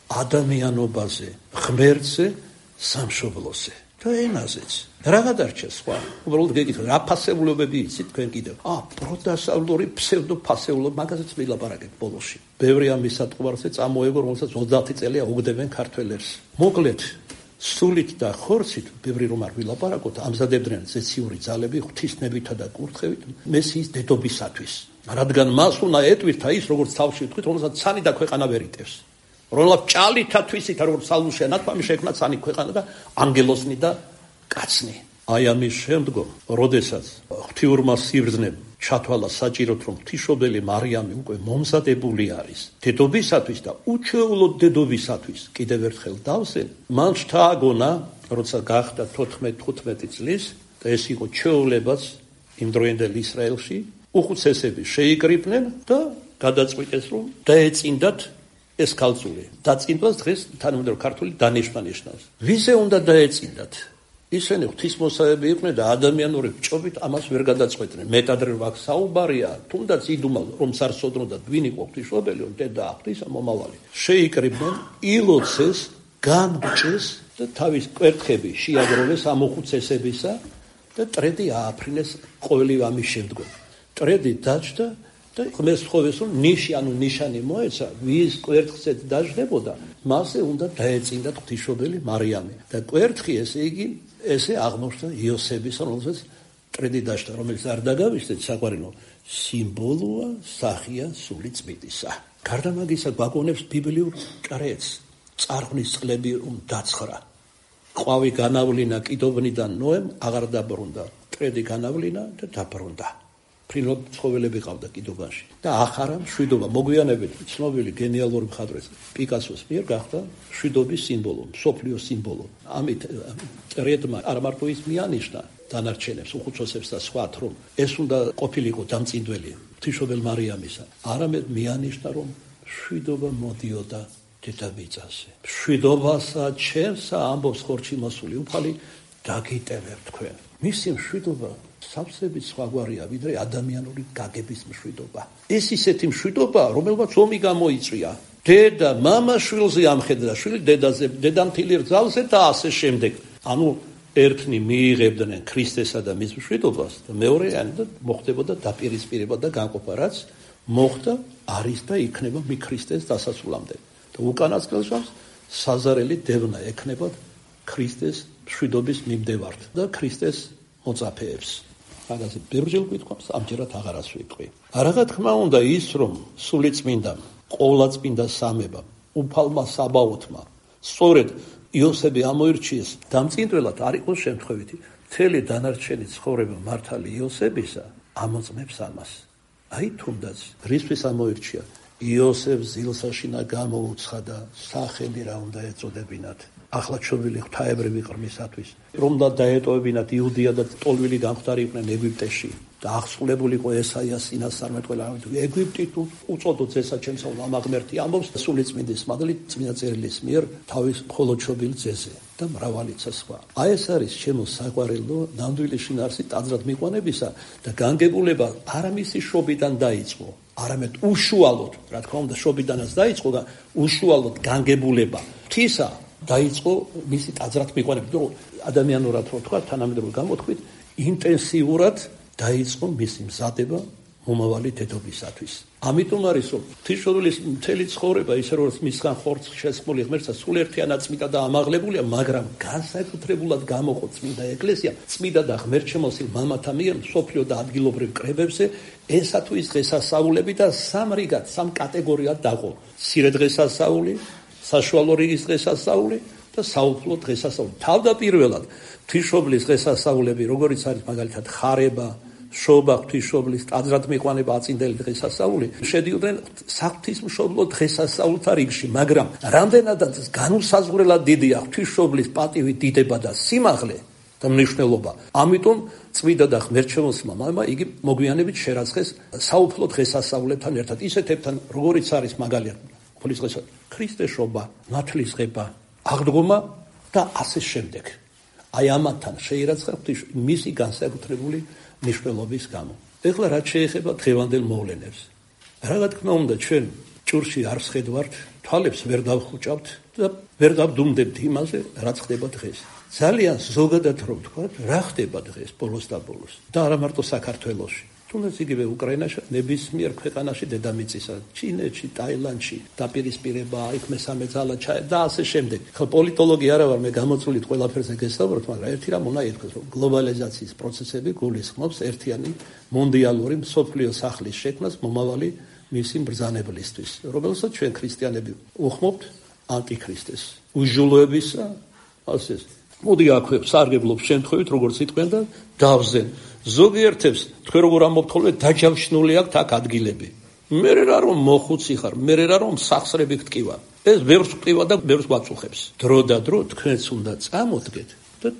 ადამიანობაზე, ღმერთზე, სამშობლოზე და ენაზეც. რა გადარჩა სხვა? უბრალოდ გეკითხეთ, რა ფასეულობები იცით თქვენ კიდევ? პროტასტანტული ფსევდოფასეულობა, მაგაზეც ვილაპარაკებ ბოლოში. ბევრი ამის სატყვარზე წამოეგო, რომელსაც 30 წელია უგდებენ ქართველებს. მოკლედ, სულით და ხორცით ბევრი რომ არ ვილაპარაკოთ, ამზადებდნენ ზეციური ძალები ღვთისნებითა და კურთხევით მესიის დედობისათვის. რადგან მას უნდა ეტვირთა ის, როგორც თავში ვთქვით, რომელსაც ცანი და ქვეყანა ვერ იტევს. რომელსაც ჭალითა თვისით, როგორც სალუშია ნათქვამი შექმნა ცანი ქვეყანა და ანგელოსნი და კაცნი. აი ამის შემდგომ, როდესაც ღვთიურმა სიბრძნემ ჩათვალა საჭიროდ, რომ ღვთისმშობელი მარიამი უკვე მომზადებული არის დედობისათვის და უჩვეულოდ დედობისათვის კიდევ ერთხელ დავსენ, მან შთააგონა, როცა გახდა 14-15 წლის და ეს იყო ჩვეულებაც იმ დროინდელ ისრაელში, უხუცესები შეიკრიბნენ და გადაწყვიტეს, რომ დაეწინდათ ეს ქალწული. დაწინდვას დღეს თანამედროვე ქართული დანიშვნა ნიშნავს. ვიზე უნდა დაეწინდათ? ისინი ღვთისმოსავები იყვნენ და ადამიანური ჭობით ამას ვერ გადაწყვეტდნენ. მეტად რვაქ საუბარია, თუნდაც იდუმალ რომ სარსოდნოდათ ვინ იყო ღვთისმშობელი, დედა ღვთისა მომავალი. შეიკრიბნენ, ილოცეს, განბჭეს და თავის კვერთხები შეაგროვეს ამ უხუცესებისა და ტრედი ააფრინეს ყოველივე ამის შემდგომ. ტრედი დაჯდა და ღმერთს თხოვეს, რომ ნიშანი მოეცა, ვის კვერთხზეც დაждდებოდა, მასზე უნდა დაეწინდათ ღვთისმშობელი მარიამი. და კვერთხი ესე იგი ესე აღმოჩნდა იოსების, რომელსაც ტრედი დაждდა, რომელიც არ დაგავიწყდეთ, საყვარელო სიმბოლოა, სახია სული წმინდისა. გარდა მაგისა გვაგონებს ბიბლიურ კრეცს, წარღვნის წყლები რომ დაცხრა. ყვავი განავლინა კიდობნიდან ნოემ აღარ დაბრუნდა. ტრედი განავლინა და დაბრუნდა. ფრინოდ ცხოველები ყავდა კიდობაში და ახარა მშვიდობა. მოგვიანებით ცნობილი გენიალური მხატვრის პიკასოს მიერ გახდა მშვიდობის სიმბოლო, მსოფლიოს სიმბოლო. ამით ტრედმა არ მარტო ის მიანიშნა დანარჩენებს, უხუცესებს და სხვათ, რომ ეს უნდა ყოფილიყო დამწინდველი ღვთისმშობელ მარიამისა, არამედ მიანიშნა, რომ მშვიდობა მოდიოდა დედამიწაზე. მშვიდობასა ჩემსა ამბობს ხორცი მოსული უფალი, დაგიტევებ თქვენ. მისი მშვიდობა სავსებით სხვაგვარია, ვიდრე ადამიანური გაგების მშვიდობა. ეს ისეთი მშვიდობა, რომელმაც ომი გამოიწვია. დედა მამა შვილზე ამხედა, შვილი დედაზე, დედამთილი რძალზე და ასე შემდეგ. ანუ ერთნი მიიღებდნენ ქრისტესა და მის მშვიდობას და მეორე და მოხდებოდა დაპირისპირება და განყოფა, რაც მოხდა, არის და იქნება მი ქრისტეს დასასრულამდე. და უკანასკნელს საზარელი დევნა ექნებათ ქრისტეს მშვიდობის მიმდევართ და ქრისტეს მოწაფეებს. მაგაზე ბევრჯერ გვითხოვს, ამჯერად აღარას ვიტყვი. რა თქმა უნდა ის, რომ სულიწმინდა, ყოვლადწმინდა სამება, უფალმა საბაოთმა, სწორედ იოსები ამოირჩიეს დამწინდველად, არ იყოს შემთხვევითი, მთელი დანარჩენი ცხოვრება მართალი იოსებისა ამოწმებს ამას. აი თუნდაც რისთვის ამოირჩია? იოსებ ზილსაშინა გამოუცხადა, სახელი რა უნდა ეწოდებინათ. ახლა ჩობილი ღვთაებრივი ყრმისათვის, რომ და დაეტოვებინათ იუდია და ტოლვილი გამხდარი იყვნენ ეგვიპტეში და აღსრულებული იყო ესაიას წინასწარმეტყველი, ეგვიპტით უწოდოთ ზესა ჩემსა ამაღმერთი ამბობს სულიწმინდის მადლით წმინდა წერილის მიერ თავის მხოლოდ ჩობილ ძეზე და მრავალიცა სხვა. აი ეს არის ჩემო საყვარელო ნამდვილი შინაარსი ტაძრად მიყვანებისა და განგებულება არამისი შობიდან დაიწყო, არამედ უშუალოდ, რა თქმა უნდა შობიდანაც დაიწყო და უშუალოდ განგებულება ღვთისა დაიწყო მისი ტაძრად მიყვანება, რომ ადამიანურად რო თქვა, თანამედროვე გამოთქვით, ინტენსიურად დაიწყო მისი მზადება მომავალი დედობისათვის. ამიტომ არის, რომ ღვთისმშობლის მთელი ცხოვრება, ისე როგორც მისგან ხორცს შესხმული ღმერთსა, სულერთიანად წმინდა და ამაღლებულია, მაგრამ განსაკუთრებულად გამოყო წმინდა ეკლესია, წმინდა და ღმერთშემოსილ მამათა მიერ მსოფლიო და ადგილობრივ კრებებზე, ესათვის დღესასწაულები და სამ რიგად, სამ კატეგორიად დაყო. მცირე დღესასწაული, საშუალო რიგის დღესასწაული და საუფლო დღესასწაული. თავდაპირველად ღვთისმშობლის დღესასწაულები, როგორიც არის მაგალითად ხარება, შობა, ღვთისმშობლის ტაძრად მიყვანება, აწინდელი დღესასწაული, შედიოდნენ საღვთისმშობლო დღესასწაულთა რიგში, მაგრამ რამდენადაც განუსაზღვრელად დიდია ღვთისმშობლის პატივი, დიდება და სიმაღლე და მნიშვნელობა. ამიტომ წმინდა და ღმერთშემოსილმა მამამ იგი მოგვიანებით შერაცხეს საუფლო დღესასწაულებთან ერთად, ისეთებთან, როგორიც არის მაგალითად ქრისტეს შობა, ნათლისღება, აღდგომა და ასე შემდეგ. აი ამათთან შეირაცხა მისი განსაკუთრებული მნიშვნელობის გამო. ეხლა რაც შეეხება დღევანდელ მოვლენებს. რა თქმა უნდა ჩვენ ჭურში არ ვხედავთ, თვალებს ვერ დავხუჭავთ და ვერ დავდუმდებთ იმაზე, რაც ხდება დღეს. ძალიან ზოგადად რომ ვთქვა, რა ხდება დღეს ბოლოს და ბოლოს და არა მარტო საქართველოში. თუნდაც იგივე უკრაინაში, ნებისმიერ ქვეყანაში დედამიწისა, ჩინეთში, ტაილანდში დაპირისპირება, იქ მესამე ძალა და ასე შემდეგ. ხო, პოლიტოლოგი არა ვარ, მე გამოწვევით ყველაფერზე გესაუბროთ, მაგრამ ერთი რამ უნდა ითქვას, რომ გლობალიზაციის პროცესები გულისხმობს ერთიანი მონდიალური მსოფლიო სახლის შექმნას მომავალი მისი ბრძანებლისთვის, რომელსაც ჩვენ ქრისტიანები უხმობთ ანტიქრისტეს. უჟულოებისა, ასე მოდი აქვე სარგებლობს შემთხვევით, როგორც იტყვიან და დავზენ. ზოგიერთებს თქვენ როგორ ამბობთ ხოლმე დაჯავშნული აქვთ აქ ადგილები. მე რა რომ მოხუცი ხარ, მე რა რომ სახსრები გტკივა. ეს ბევრს გტკივა და ბევრს გვაწუხებს. დრო და დრო თქვენც უნდა წამოდგეთ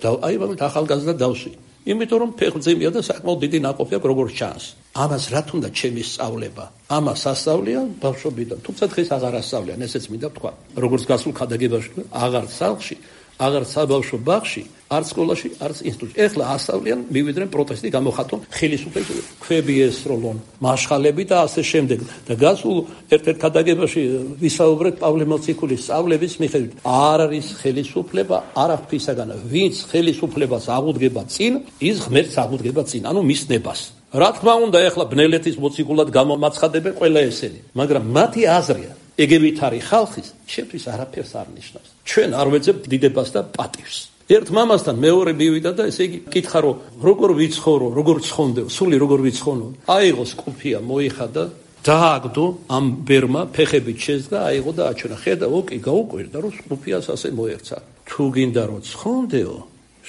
და აი მაგალითად ახალგაზრდა დავსვი. იმიტომ რომ ფეხმძიმეა და საკმაოდ დიდი ნაყოფი აქვს როგორც ჩანს. ამას რა თუნდა ჩემი სწავლება? ამას ასწავლიან ბავშვობიდან. თუმცა დღეს აღარ ასწავლიან, ესეც მინდა ვთქვა. როგორც გასულ ქადაგებაში, აღარ სახლში, აღარ საბავშვო ბაღში, არც სკოლაში, არც ინსტიტუტში. ეხლა ასწავლიან, მივიდნენ პროტესტი გამოხატონ, ხელისუფლების ქვები ესროლონ, მაშხალები და ასე შემდეგ. და გასულ ერთ-ერთ ქადაგებაში ვისაუბრეთ პავლე მოციქულის სწავლების მიხედვით. არ არის ხელისუფლება არაფრისაგანა. ვინც ხელისუფლებას აღუდგება წინ, ის ღმერთს აღუდგება წინ, ანუ მის ნებას. რა თქმა უნდა, ეხლა ბნელეთის მოციქულად გამომაცხადებენ ყველა ესენი, მაგრამ მათი აზრია ეგებით არის ხალხის, ჩემთვის არაფერს არ ნიშნავს. ჩვენ არ ვეძებთ დიდებას და პატივს. ერთ მამასთან მეორე მივიდა და ესე იგი კითხა რომ როგორ ვიცხოვრო, როგორ ცხონდეო, სული როგორ ვიცხოვნო. აიღო სკუფია, მოიხადა, დააგდო ამ ბერმა, ფეხებით შეძგა, აიღო და აჩვენა. ხედა, ოკი, გაუკვირდა რომ სკუფიას ასე მოერცა. თუ გინდა რომ ცხონდეო,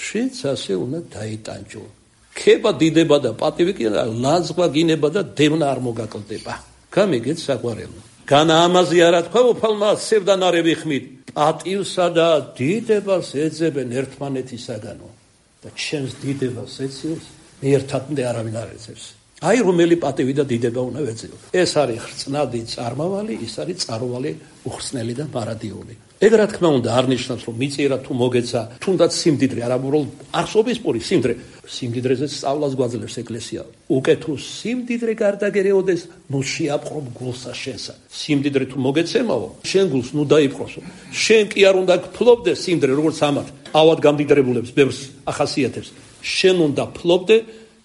შეც ასე უნდა დაიტანჯო. ქება დიდება და პატივი კი ლაზღვა გინება და დევნა არ მოგაკლდება. გამიგეთ საყვარელო. განა ამაზე არა თქვა უფალმა სევდანარები ხმით. პატივსა და დიდებას ეძებენ ერთმანეთისაგანო და ჩემს დიდებას ეცილს ერთადმე არავინ არ ეძებს. აი რომელი პატივი და დიდება უნდა ვეძებო. ეს არის ხრწნადი წარმავალი, ის არის წარვალი უხსნელი და მარადიული. ეგ რა თქმა უნდა არ ნიშნავს რომ მიწირა თუ მოგეცა თუნდაც სიმდიდრე არა უბრალოდ არსობის პური სიმდიდრე სიმდიდრეზე სწავლას გვაძლევს ეკლესია უკეთ თუ სიმდიდრე გარდაგერეოდეს ნუ შეაპყრობ გულსა შენსა სიმდიდრე თუ მოგეცემაო შენ გულს ნუ დაიპყროსო შენ კი არ უნდა გფლობდე სიმდიდრე როგორც ამათ ავად გამდიდრებულებს ბევრს ახასიათებს შენ უნდა ფლობდე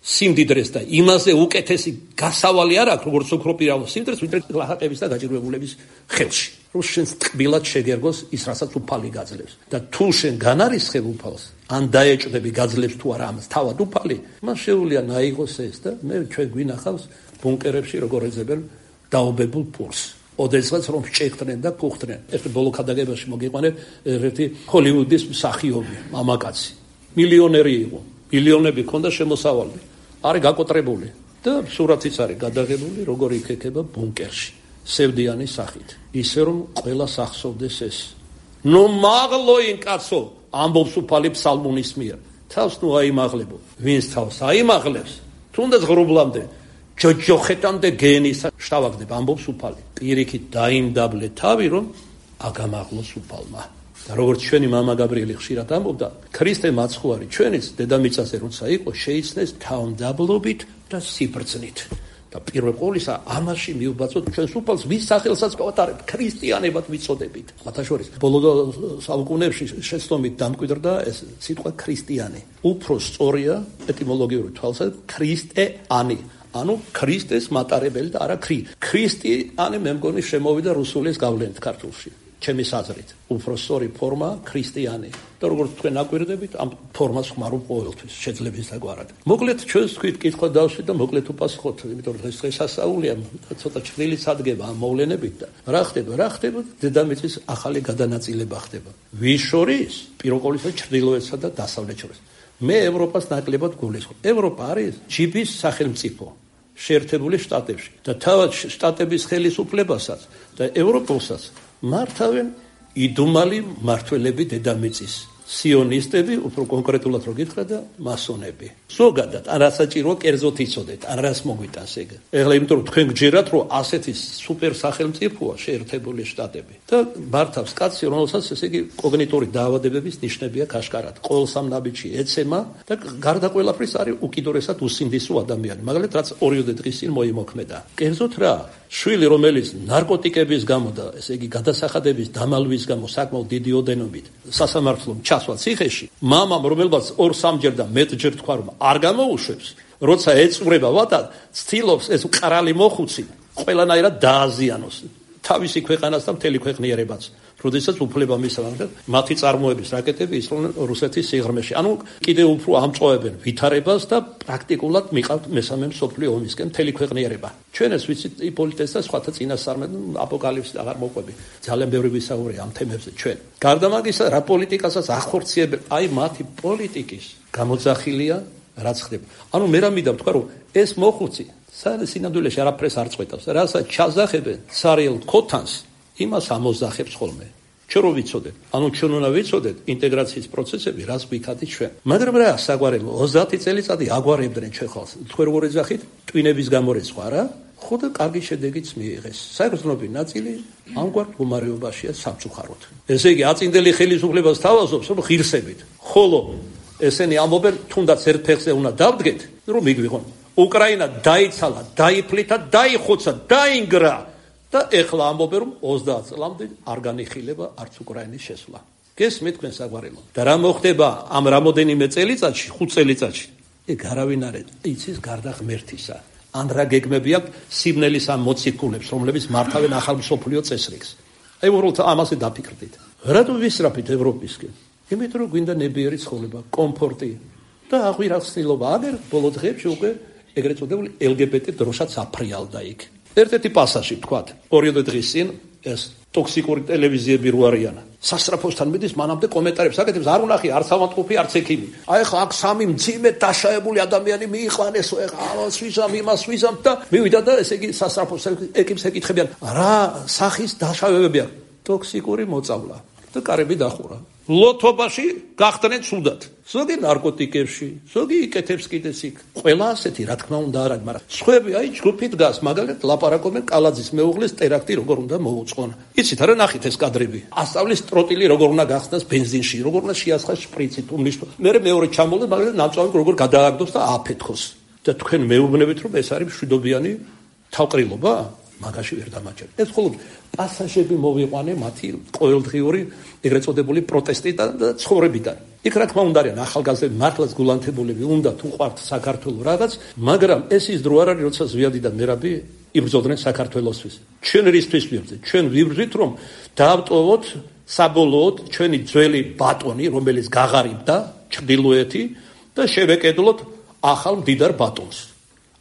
სიმდიდრეს და იმაზე უკეთესი გასავალი არ აქვს როგორც ოქროპირავ სიმდიდრეს ვიდრე ლაჰაყების და გაჭირვებულების ხელში რომ შენ ტკბილად შეგერგოს ის რასაც უფალი გაძლევს და თუ შენ განარისხებ უფალს ან დაეჭდები გაძლევს თუ არა ამას თავად უფალი მას შეუძლია ნაიღოს ეს და მე ჩვენ გვინახავს ბუნკერებში როგორ ეძებენ დაობებულ პურს ოდესღაც რომ შეეხდნენ და ფუხდნენ ერთ ბოლო ქადაგებაში მოგიყვანებ ერთი ჰოლივუდის მსახიობი მამაკაცი მილიონერი იყო მილიონები ქონდა შემოსავალი არის გაკოტრებული და სურათიც არის გადაღებული როგორ იქექება ბუნკერში სევდიანის სახით ისე რომ ყველა სახსოვდეს ეს ნუ მაღლოინ კაცო ამბობს უფალი ფსალმუნის მიერ თავს ნუ აიმაღლებო ვინც თავს აიმაღლებს თუნდაც ღრუბლამდე ჯოჯოხეთამდე გენისა შტავაგდება ამბობს უფალი პირიქით დაიმდაბლე თავი რომ აგამაღლოს უფალმა და როგორც ჩვენი მამა გაბრიელი ხშირად ამბობდა ქრისტე მაცხვარი ჩვენის დედამიწაზე როცა იყო შეიცნეს თავმდაბლობით და სიბრძნით და პირველ ყოვლისა ამაში მიუბაცოთ ჩვენს უფალს ვის სახელსაც გავატარებთ ქრისტიანებად ვიცოდებით მათ შორის ბოლო საუკუნეებში შეცდომით დამკვიდრდა ეს სიტყვა ქრისტიანი უფრო სწორია ეტიმოლოგიური თვალსაზრისით ქრისტეანი ანუ ქრისტეს მატარებელი და არა ქრისტიანი მე მგონი შემოვიდა რუსულის გავლენით ქართულში ჩემის აზრით უფრო სწორი ფორმა ქრისტიანი და როგორც თქვენ აკვირდებით ამ ფორმას ხმარობ ყოველთვის შეძლების დაგვარად მოკლედ ჩვენს თქვით კითხვა დავსვით და მოკლედ უპასუხოთ იმიტომ რომ დღეს ასაულია ცოტა ჩრდილით სადგება ამ მოვლენებით და რა ხდება დედამიწის ახალი გადანაწილება ხდება ვის შორის პირველ ყოვლისა ჩრდილოეთსა და დასავლეთ შორის მე ევროპას ნაკლებად გულისხმობ ევროპა არის ჯიბის სახელმწიფო შეერთებული შტატებში და თავად შტატების ხელისუფლებასაც და ევროპულსაც მართავენ იდუმალი მართველები დედამიწის სიონისტები უფრო კონკრეტულად რო გითხრა და მასონები ზოგადად ან რასაჭირო კერძოთ იცოდეთ ან რას მოგვიტანს ეგ ეხლა იმიტომ რომ თქვენ გჯერათ რომ ასეთი სუპერ სახელმწიფოა შეერთებული შტატები და მართავს კაცი რომელსაც ესე იგი კოგნიტორი დაავადებების ნიშნები აქვს აშკარად ყოველ სამ ნაბიჯში ეცემა და გარდა ყველაფრის არის უკიდურესად უსინდისო ადამიანი მაგალითად რაც ორიოდე დღის წინ მოიმოქმედა კერძოთ რა შვილი რომელიც ნარკოტიკების გამო და ესე იგი გადასახადების დამალვის გამო საკმაოდ დიდი ოდენობით სასამართლომ ჩასვა ციხეში მამამ რომელსაც 2-3 ჯერ და მეტჯერ თქვა რომ არ გამოუშვებს როცა ეწურება ვადა, ცდილობს ეს მყრალი მოხუცი ყველანაირად დააზიანოს თავისი ქვეყანას და მთელი ქვეყნიერებაც. როდესაც უფლება მისცემენ, მათი წარმოების რაკეტები ისროდნენ რუსეთის სიღრმეში. ანუ კიდევ უფრო ამწოვებენ ვითარებას და პრაქტიკულად მიყავთ მესამე მსოფლიო ომისკენ მთელი ქვეყნიერება. ჩვენ ეს ვიცით იპოლიტეს და სხვათა წინასწარმედ აპოკალიფსი აღარ მოყვები. ძალიან ბევრი ვისაუბრია ამ თემებზე ჩვენ. გარდა მაგისა, რა პოლიტიკასაც ახორციელებენ, აი მათი პოლიტიკის გამოძახილია რაც ხდება. ანუ მე რამიდა ვთქვა, რომ ეს მოხუცი სინამდვილეში არაფერს არ წყვეტავს. რასაც ჩაზახებენ სარიელ ქოთანს, იმას ამოძახებს ხოლმე. ჩვენ რო ვიცოდეთ, ანუ ჩვენ უნდა ვიცოდეთ ინტეგრაციის პროცესები, რას გვიქადით ჩვენ. მაგრამ რა საგვარელო 30 წელიწადი აგვარებდნენ ჩვენ ხალხს. თქვენ როგორ ეძახით? ტვინების გამორეცხვა რა? ხო და კარგი შედეგიც მიიღეს. საერთოდ ნაწილი ამგვარ მდგომარეობაშია სამწუხაროდ. ესე იგი, აწინდელი ხელისუფლებას თავაზობს, რომ ღირსებით. ხოლო ესენი ამბობენ, თუნდაც ერთ ფეხზე უნდა დავდგეთ, რომ მიგვიღონ. უკრაინა დაიცალა, დაიფლითა, დაიხოცა, დაინგრა. და ეხლა ამბობენ, რომ 30 წლამდე არ განიხილება არც უკრაინის შესვლა. გესმით თქვენ საგვარელო? და რა მოხდება ამ რამოდენიმე წელიწადში, 5 წელიწადში? ეგ არავინ არ იცის გარდა ღმერთისა. ან რა გეგმები აქვს სიბნელის ამ მოციქულებს, რომლებიც მართავენ ახალ მსოფლიო წესრიგს. აი უბრალოდ ამაზე დაფიქრდით. რატო ვისწრაფით ევროპისკენ? იმიტომ რომ გვინდა ნებიერი ცხოვრება, კომფორტი და აღვირახსნილობა. აგერ ბოლო დღეებში უკვე ეგრეთ წოდებული LGBT დროშაც აფრიალდა იქ. ერთ-ერთი პასაჟი ვთქვათ, 2 დღის წინ ეს ტოქსიკური ტელევიზიები რო არიან. სასწრაფოსთან მიდის, მანამდე კომენტარებს აკეთებს, არ უნახი, არც ავადმყოფი, არც ექიმი. აი ხა აქ 3 მძიმე დაშავებული ადამიანი მიიყვანეს, ეხლა სვიზამ, იმას სვიზამ და მივიდა და ესე იგი სასწრაფოს ეკიპს ეკითხებიან, რა სახის დაშავებებია? ტოქსიკური მოწავლა. და კარები დახურა. ლოთობაში გახდნენ ცუდად. ზოგი ნარკოტიკებში, ზოგი იკეთებს კიდეც იქ. ყველა ასეთი, რა თქმა უნდა, არა, მაგრამ სხვები აი ჯგუფი დგას, მაგალითად ლაპარაკობენ კალაძის მეუღლის ტერაქტი როგორ უნდა მოუწყონ. იცით არა, ნახით ეს კადრები. ასწავლის ტროტილი როგორ უნდა გახსნას ბენზინში, როგორ უნდა შეასხას შპრიცით, უმნიშვნელო. მერე მეორე ჩამოვიდეს, მაგალითად ნამწვავი როგორ გადააგდოს და აფეთქოს. და თქვენ მეუბნებით, რომ ეს არის მშვიდობიანი თავყრილობა? მაგაში ვერ დამაჩერე. ეს მხოლოდ პასაჟები მოვიყვანე მათი ყოველდღიური ეგრეთ წოდებული პროტესტიდან და ცხოვრებიდან. იქ რა თქმა უნდა არიან ახალგაზრდები, მართლაც გულანთებულები, უნდათ უყვართ საქართველოს რაღაც, მაგრამ ეს ის დრო არ არის, როცა ზვიადი და მერაბი იბრძოდნენ საქართველოსთვის. ჩვენ რისთვის ვიბრძვით? ჩვენ ვიბრძვით, რომ დაავტოვოთ საბოლოოდ ჩვენი ძველი ბატონი, რომელიც გაღარიბდა ჩრდილოეთი და შევეკედლოთ ახალ მდიდარ ბატონს.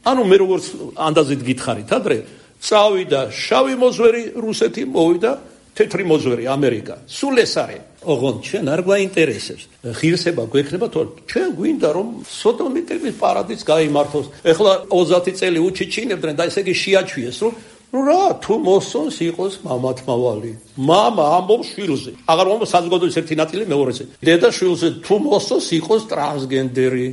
ანუ მე როგორც ანდაზით გითხარით ადრე წავიდა შავი მოზვერი რუსეთი, მოვიდა თეთრი მოზვერი ამერიკა. სულ ეს არის. ოღონდ ჩვენ არ გვაინტერესებს. ღირსება გვექნება, თორე ჩვენ გვინდა რომ სოდომიტების პარადიც გაიმართოს. ეხლა 30 წელი უჩიჩინებდნენ და ესე იგი შეაჩვიეს, რომ რა თუ მოსწონს იყოს მამათმავალი. მამა ამბობს შვილზე. აღარ მომწონს საზოგადოების ერთი ნაწილი მეორეზე. დედა შვილზე თუ მოსწონს იყოს ტრანსგენდერი,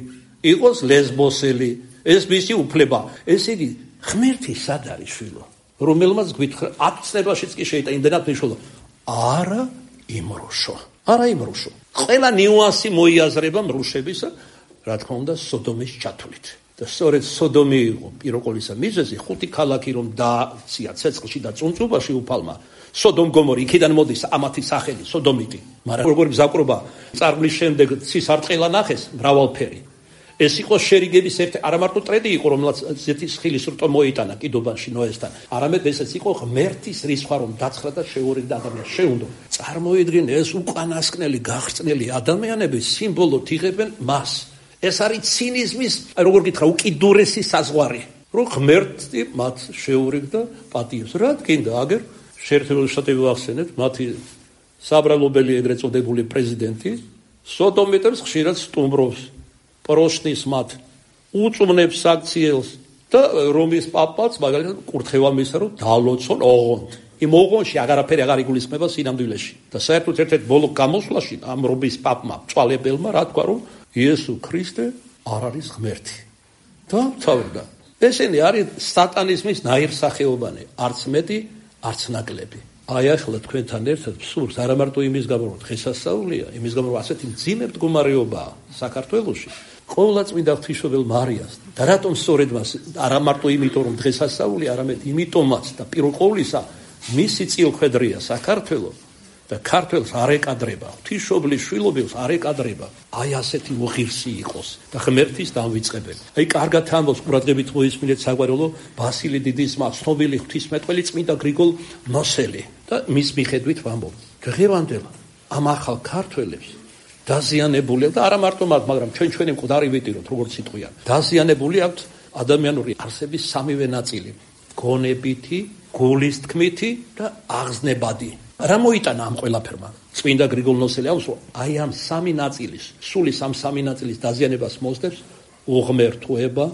იყოს ლესბოსელი. ეს მისი უფლება. ესე იგი ღმერთი სად არის შვილო? რომელმაც გვითხრა 10 წლებაშიც კი შეიძლება იმდენად მნიშვნელობა. არა იმრუშო. არა იმრუშო. ყველა ნიუანსი მოიაზრება მრუშებისა, რა თქმა უნდა, სოდომის ჩათვლით. და სწორედ სოდომი იყო პიროყოლისა მიზეზი, 5 ქალაქი რომ დააცია ცეცხლში და წუნწუბაში უფალმა. სოდომ გომორი იქიდან მოდის ამათი სახელი, სოდომიტი. მაგრამ როგორი მზაკრობა წარღვლის შემდეგ ცისარტყელა ნახეს მრავალფერი. ეს იყო შერიგების ერთ არა მარტო ტრედი იყო, რომელსაც ზეთის ხილის რტო მოიტანა კიდობანში ნოესთან. არამედ ესეც იყო ღმერთის რისხვა, რომ დაცხრა და შეურიგდა ადამიანს. შეუნდო. წარმოიდგინე ეს უკანასკნელი გაღწნილი ადამიანები სიმბოლოდ იღებენ მას. ეს არის ცინიზმის, როგორ გითხრა, უკიდურესი საზღვარი. რომ ღმერთი მათ შეურიგდა პატიებს. რა გინდა აგერ შეერთებული შტატები ვახსენეთ, მათი საბრალობელი ეგრეთ წოდებული პრეზიდენტი სოდომიტებს ხშირად სტუმრობს. პროშნის მათ უწუნებს საქციელს და რომის პაპაც მაგალითად კურთხევა მისცა, რომ დალოცონ ოღონდ. იმ ოღონდში აღარაფერი აღარ იგულისხმება სინამდვილეში. და საერთოდ ერთ-ერთ ბოლო გამოსვლაში ამ რომის პაპმა წვალებელმა რა თქვა, რომ იესო ქრისტე არ არის ღმერთი. და თავდა. ესენი არის სატანიზმის ნაირსახეობანი, არც მეტი, არც ნაკლები. აი ახლა თქვენთან ერთად ვსურს არა მარტო იმის გამო, რომ დღესასწაულია, იმის გამო, რომ ასეთი მძიმე მდგომარეობაა საქართველოში. ყოვლადწმინდა ღვთისმშობელ მარიას და რატომ სწორედ მას არა მარტო იმიტომ რომ დღესასწაული, არამედ იმიტომაც და პირველ ყოვლისა მისი წილხვედრია საქართველო და ქართველს არ ეკადრება, ღვთისმშობლის შვილობილს არ ეკადრება. აი ასეთი მოხირსი იყოს და ღმერთის დამვიწყებელი. აი კარგად ამბობს ყურადღებით მოისმინეთ საგვარეულო ბასილი დიდის მა, ცნობილი ღვთისმეტყველი წმინდა გრიგოლ ნოსელი და მის მიხედვით ვამბობ. დღევანდელ ამ ახალ ქართველებს დაზიანებული და არა მარტო მათ, მაგრამ ჩვენი მკვდარი ვიტიროთ, როგორც სიტყვია. დაზიანებული აქვთ ადამიანური არსების სამივე ნაწილი: გონებითი, გულის თქმითი და აღზნებადი. რა მოიტანა ამ ყველაფერმა? წმინდა გრიგოლ ნოსელი ამბობს, აი ამ სამი ნაწილის, სულის ამ სამი ნაწილის დაზიანებას მოსდევს უღმერთოება,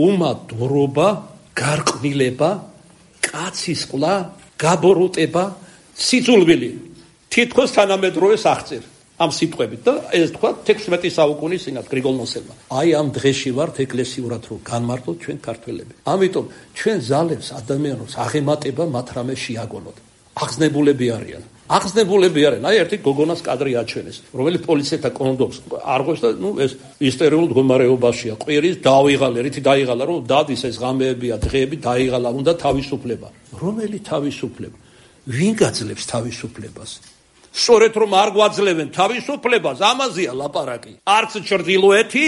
უმადურობა, გარყვნილება, კაცის ყლა, გაბოროტება, სიძულვილი. თითქოს თანამედროვე აღწერ ამ სიტყვებით და ეს თქვა 16 საუკუნის წინათ გრიგოლ ნოსელმა. აი ამ დღეში ვართ ეკლესიურად რომ განმარტოთ ჩვენ ქართველები. ამიტომ ჩვენ ზალებს ადამიანებს აღემატება მათ რამე შეაგონოთ. აღზნებულები არიან. აი ერთი გოგონას კადრი აჩვენეს, რომელიც პოლიციასთან კონდომს არღვევს და ეს ისტორიულ მდგომარეობაშია. ყვირის დაიღალა, რითი დაიღალა, რომ დადის ეს ღამეებია, დღეები დაიღალა, უნდა თავისუფლება. რომელი თავისუფლება? ვინ გაძლევს თავისუფლებას? სწორედ რომ არ გვაძლევენ თავისუფლებას, ამაზეა ლაპარაკი. არც ჩრდილოეთი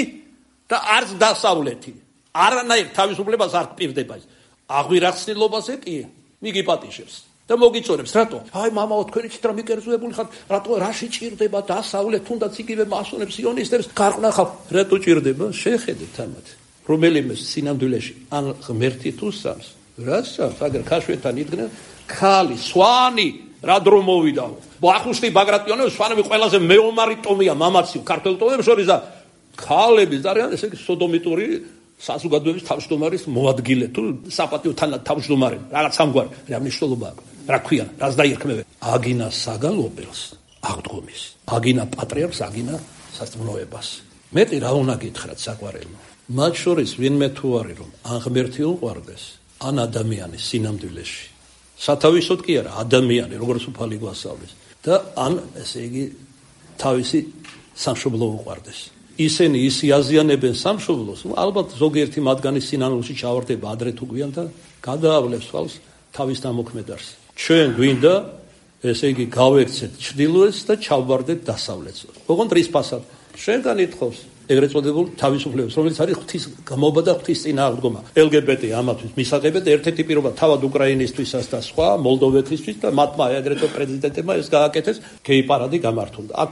და არც დასავლეთი. არანაირ თავისუფლებას არ გპირდება ეს. აღვირახსნილობაზე კი მიგიპატიშებს და მოგიწორებს. რატო? აი მამაო, თქვენი ცით რა მიკერძოებული ხართ? რატო რაში ჭირდება დასავლეთ, თუნდაც იგივე მასონებს, სიონისტებს გარყნა ხალხ? რატო ჭირდება? შეხედეთ ამათ. რომელიმე სინამდვილეში ან ღმერთი თუ სams. რას სams? აგერ ქაშვეთან იდგნენ ქალი, სვანი რა დრო მოვიდაო. ბახუშტი ბაგრატიონები სვანები ყველაზე მეომარი ტომია მამაციო ქართულ ტომებს შორის და ქალების არიან ესე იგი სოდომიტური საზოგადოების თავმჯდომარის მოადგილე თუ საპატიო თავმჯდომარე რაღაც ამგვარი რა მნიშვნელობა აქვს რა ქვია რას დაირქმევენ აგინა საგალობელს აღდგომის აგინა პატრიარქს აგინა სასწმუნოებას მეტი რა უნდა გითხრათ საყვარელო მათ შორის ვინმე თუ არის რომ ან ღმერთი უყვარდეს ან ადამიანი სინამდვილეში სათავისოდ კი არა ადამიანი როგორც უფალი გვასწავლის და ან ესე იგი თავისი სამშობლო უყვარდეს ისინი აზიანებენ სამშობლოს ალბათ ზოგიერთი მათგანი სინანულში ჩავარდება ადრე თუ გვიან და გადაავლებს თვალს თავის დამოქმედარს ჩვენ გვინდა ესე იგი გავექცეთ ჩრდილოეთს და ჩავვარდეთ დასავლეთს ოღონდ რის ფასად შენგან ითხოვს ეგრეთ წოდებულ თავისუფლებას, რომელიც არის ღვთის გამობა და ღვთის წინააღმდგომა. LGBT ამათვის მისაღებად ერთ-ერთი პირობა თავად უკრაინისთვისაც და სხვა, მოლდოვეთისთვის და მათმა ეგრეთო პრეზიდენტებმა ეს გააკეთეს, გეი პარადი გამართულდა. აქ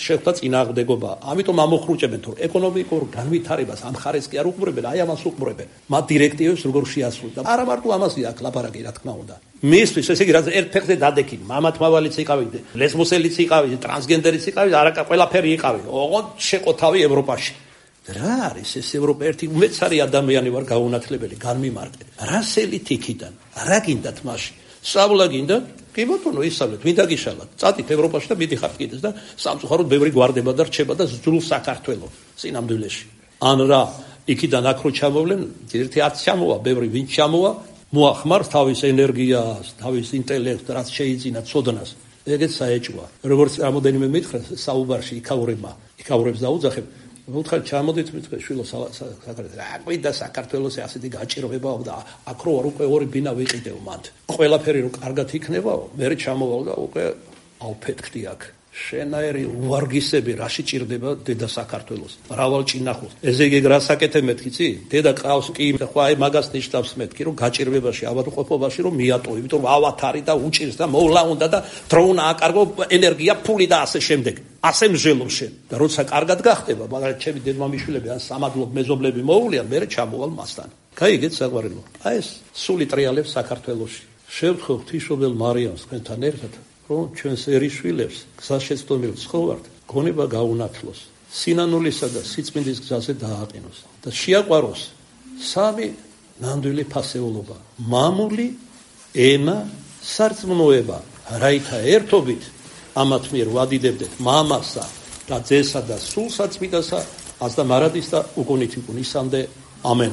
შეხვდა წინააღმდეგობა. ამიტომ ამოხრუჭებენ თუ ეკონომიკურ განვითარებას ამ ხარეს კი არ უყურებენ, აი ამას უყურებენ. მათ დირექტივებს როგორ შეასრულდა. არა მარტო ამაზე აქ ლაპარაკი რა თქმა უნდა. მისთვის ესე იგი რაც ერთ ფეხზე დადექილი, მამათმავალიც იყავით, ლესბოსელიც იყავით, ტრანსგენდერიც იყავით, არაკა ყველაფერი იყავით. ოღონდ შეყოთავი ევროპაში. რა არის ეს ევროპა ერთი უმეცარი ადამიანი ვარ გაუნათლებელი, განმიმარტე. რა სელით იქიდან? რა გინდათ მასში? სწავლა გინდათ? კი ბატონო, ისწავლეთ, მინდა გიშალათ. წადით ევროპაში და მიდიხართ კიდეც და სამწუხაროდ ბევრი გვარდება და რჩება და ძრულ საქართველოს სინამდვილეში. ან რა, იქიდან აქ რო ჩამოვლენ, ერთი არც ჩამოვა, ბევრი ვინ ჩამოვა, მოახმარს თავის ენერგიას, თავის ინტელექტს, რაც შეიძინა ცოდნას. ეგეც საეჭვია. როგორც რამოდენიმე მითხრა საუბარში იქაურებს დაუძახებ. მოთხარ ჩამოდით მითხრა შვილო საქართველოს. რა გვინდა საქართველოს ასეთი გაჭირვებაო და აქ რო უკვე ორი ბინა ვიყიდეო მათ. ყველაფერი რო კარგად იქნებაო, მე ჩამოვალ და უკვე ავფეთქდი აქ. შენაერი უვარგისები რაში ჭირდება დედა საქართველოს მრავალ ჭინახულს ესე იგი რა საკეთე მეთქი წი დედა ყავს კი ხო აი მაგას ნიშნავს მეთქი რომ გაჭირვებაში ავადმყოფობაში რომ მიატოვო იმიტომ რომ ავათარი და უჭირს და მოვლა უნდა და დროუნა აკარგო ენერგია ფული და ასე შემდეგ ასე მსჯელობ შენ და როცა კარგად გახდება მაგრამ ჩემი დედმამიშვილები ან სამადლობ მეზობლები მოუვლიან მე ჩამოვალ მასთან გაიგეთ საყვარელო აი ეს სული ტრიალებს საქართველოში შევთხოვ ღვთისმშობელ მარიამს თქვენთან ერთად რომ ჩვენს ერიშვილებს გზაშეცდომილ ცხოვრად გონება გაუნათლოს სინანულისა და სიწმინდის გზაზე დააყენოს და შეაყვაროს სამი ნამდვილი ფასეულობა მამული ენა სარწმუნოება რაითა ერთობით ამათ მიერ ვადიდებდეთ მამასა და ძესა და სულსა წმინდასა ას და მარადის და უკუნით უკუნისამდე ამენ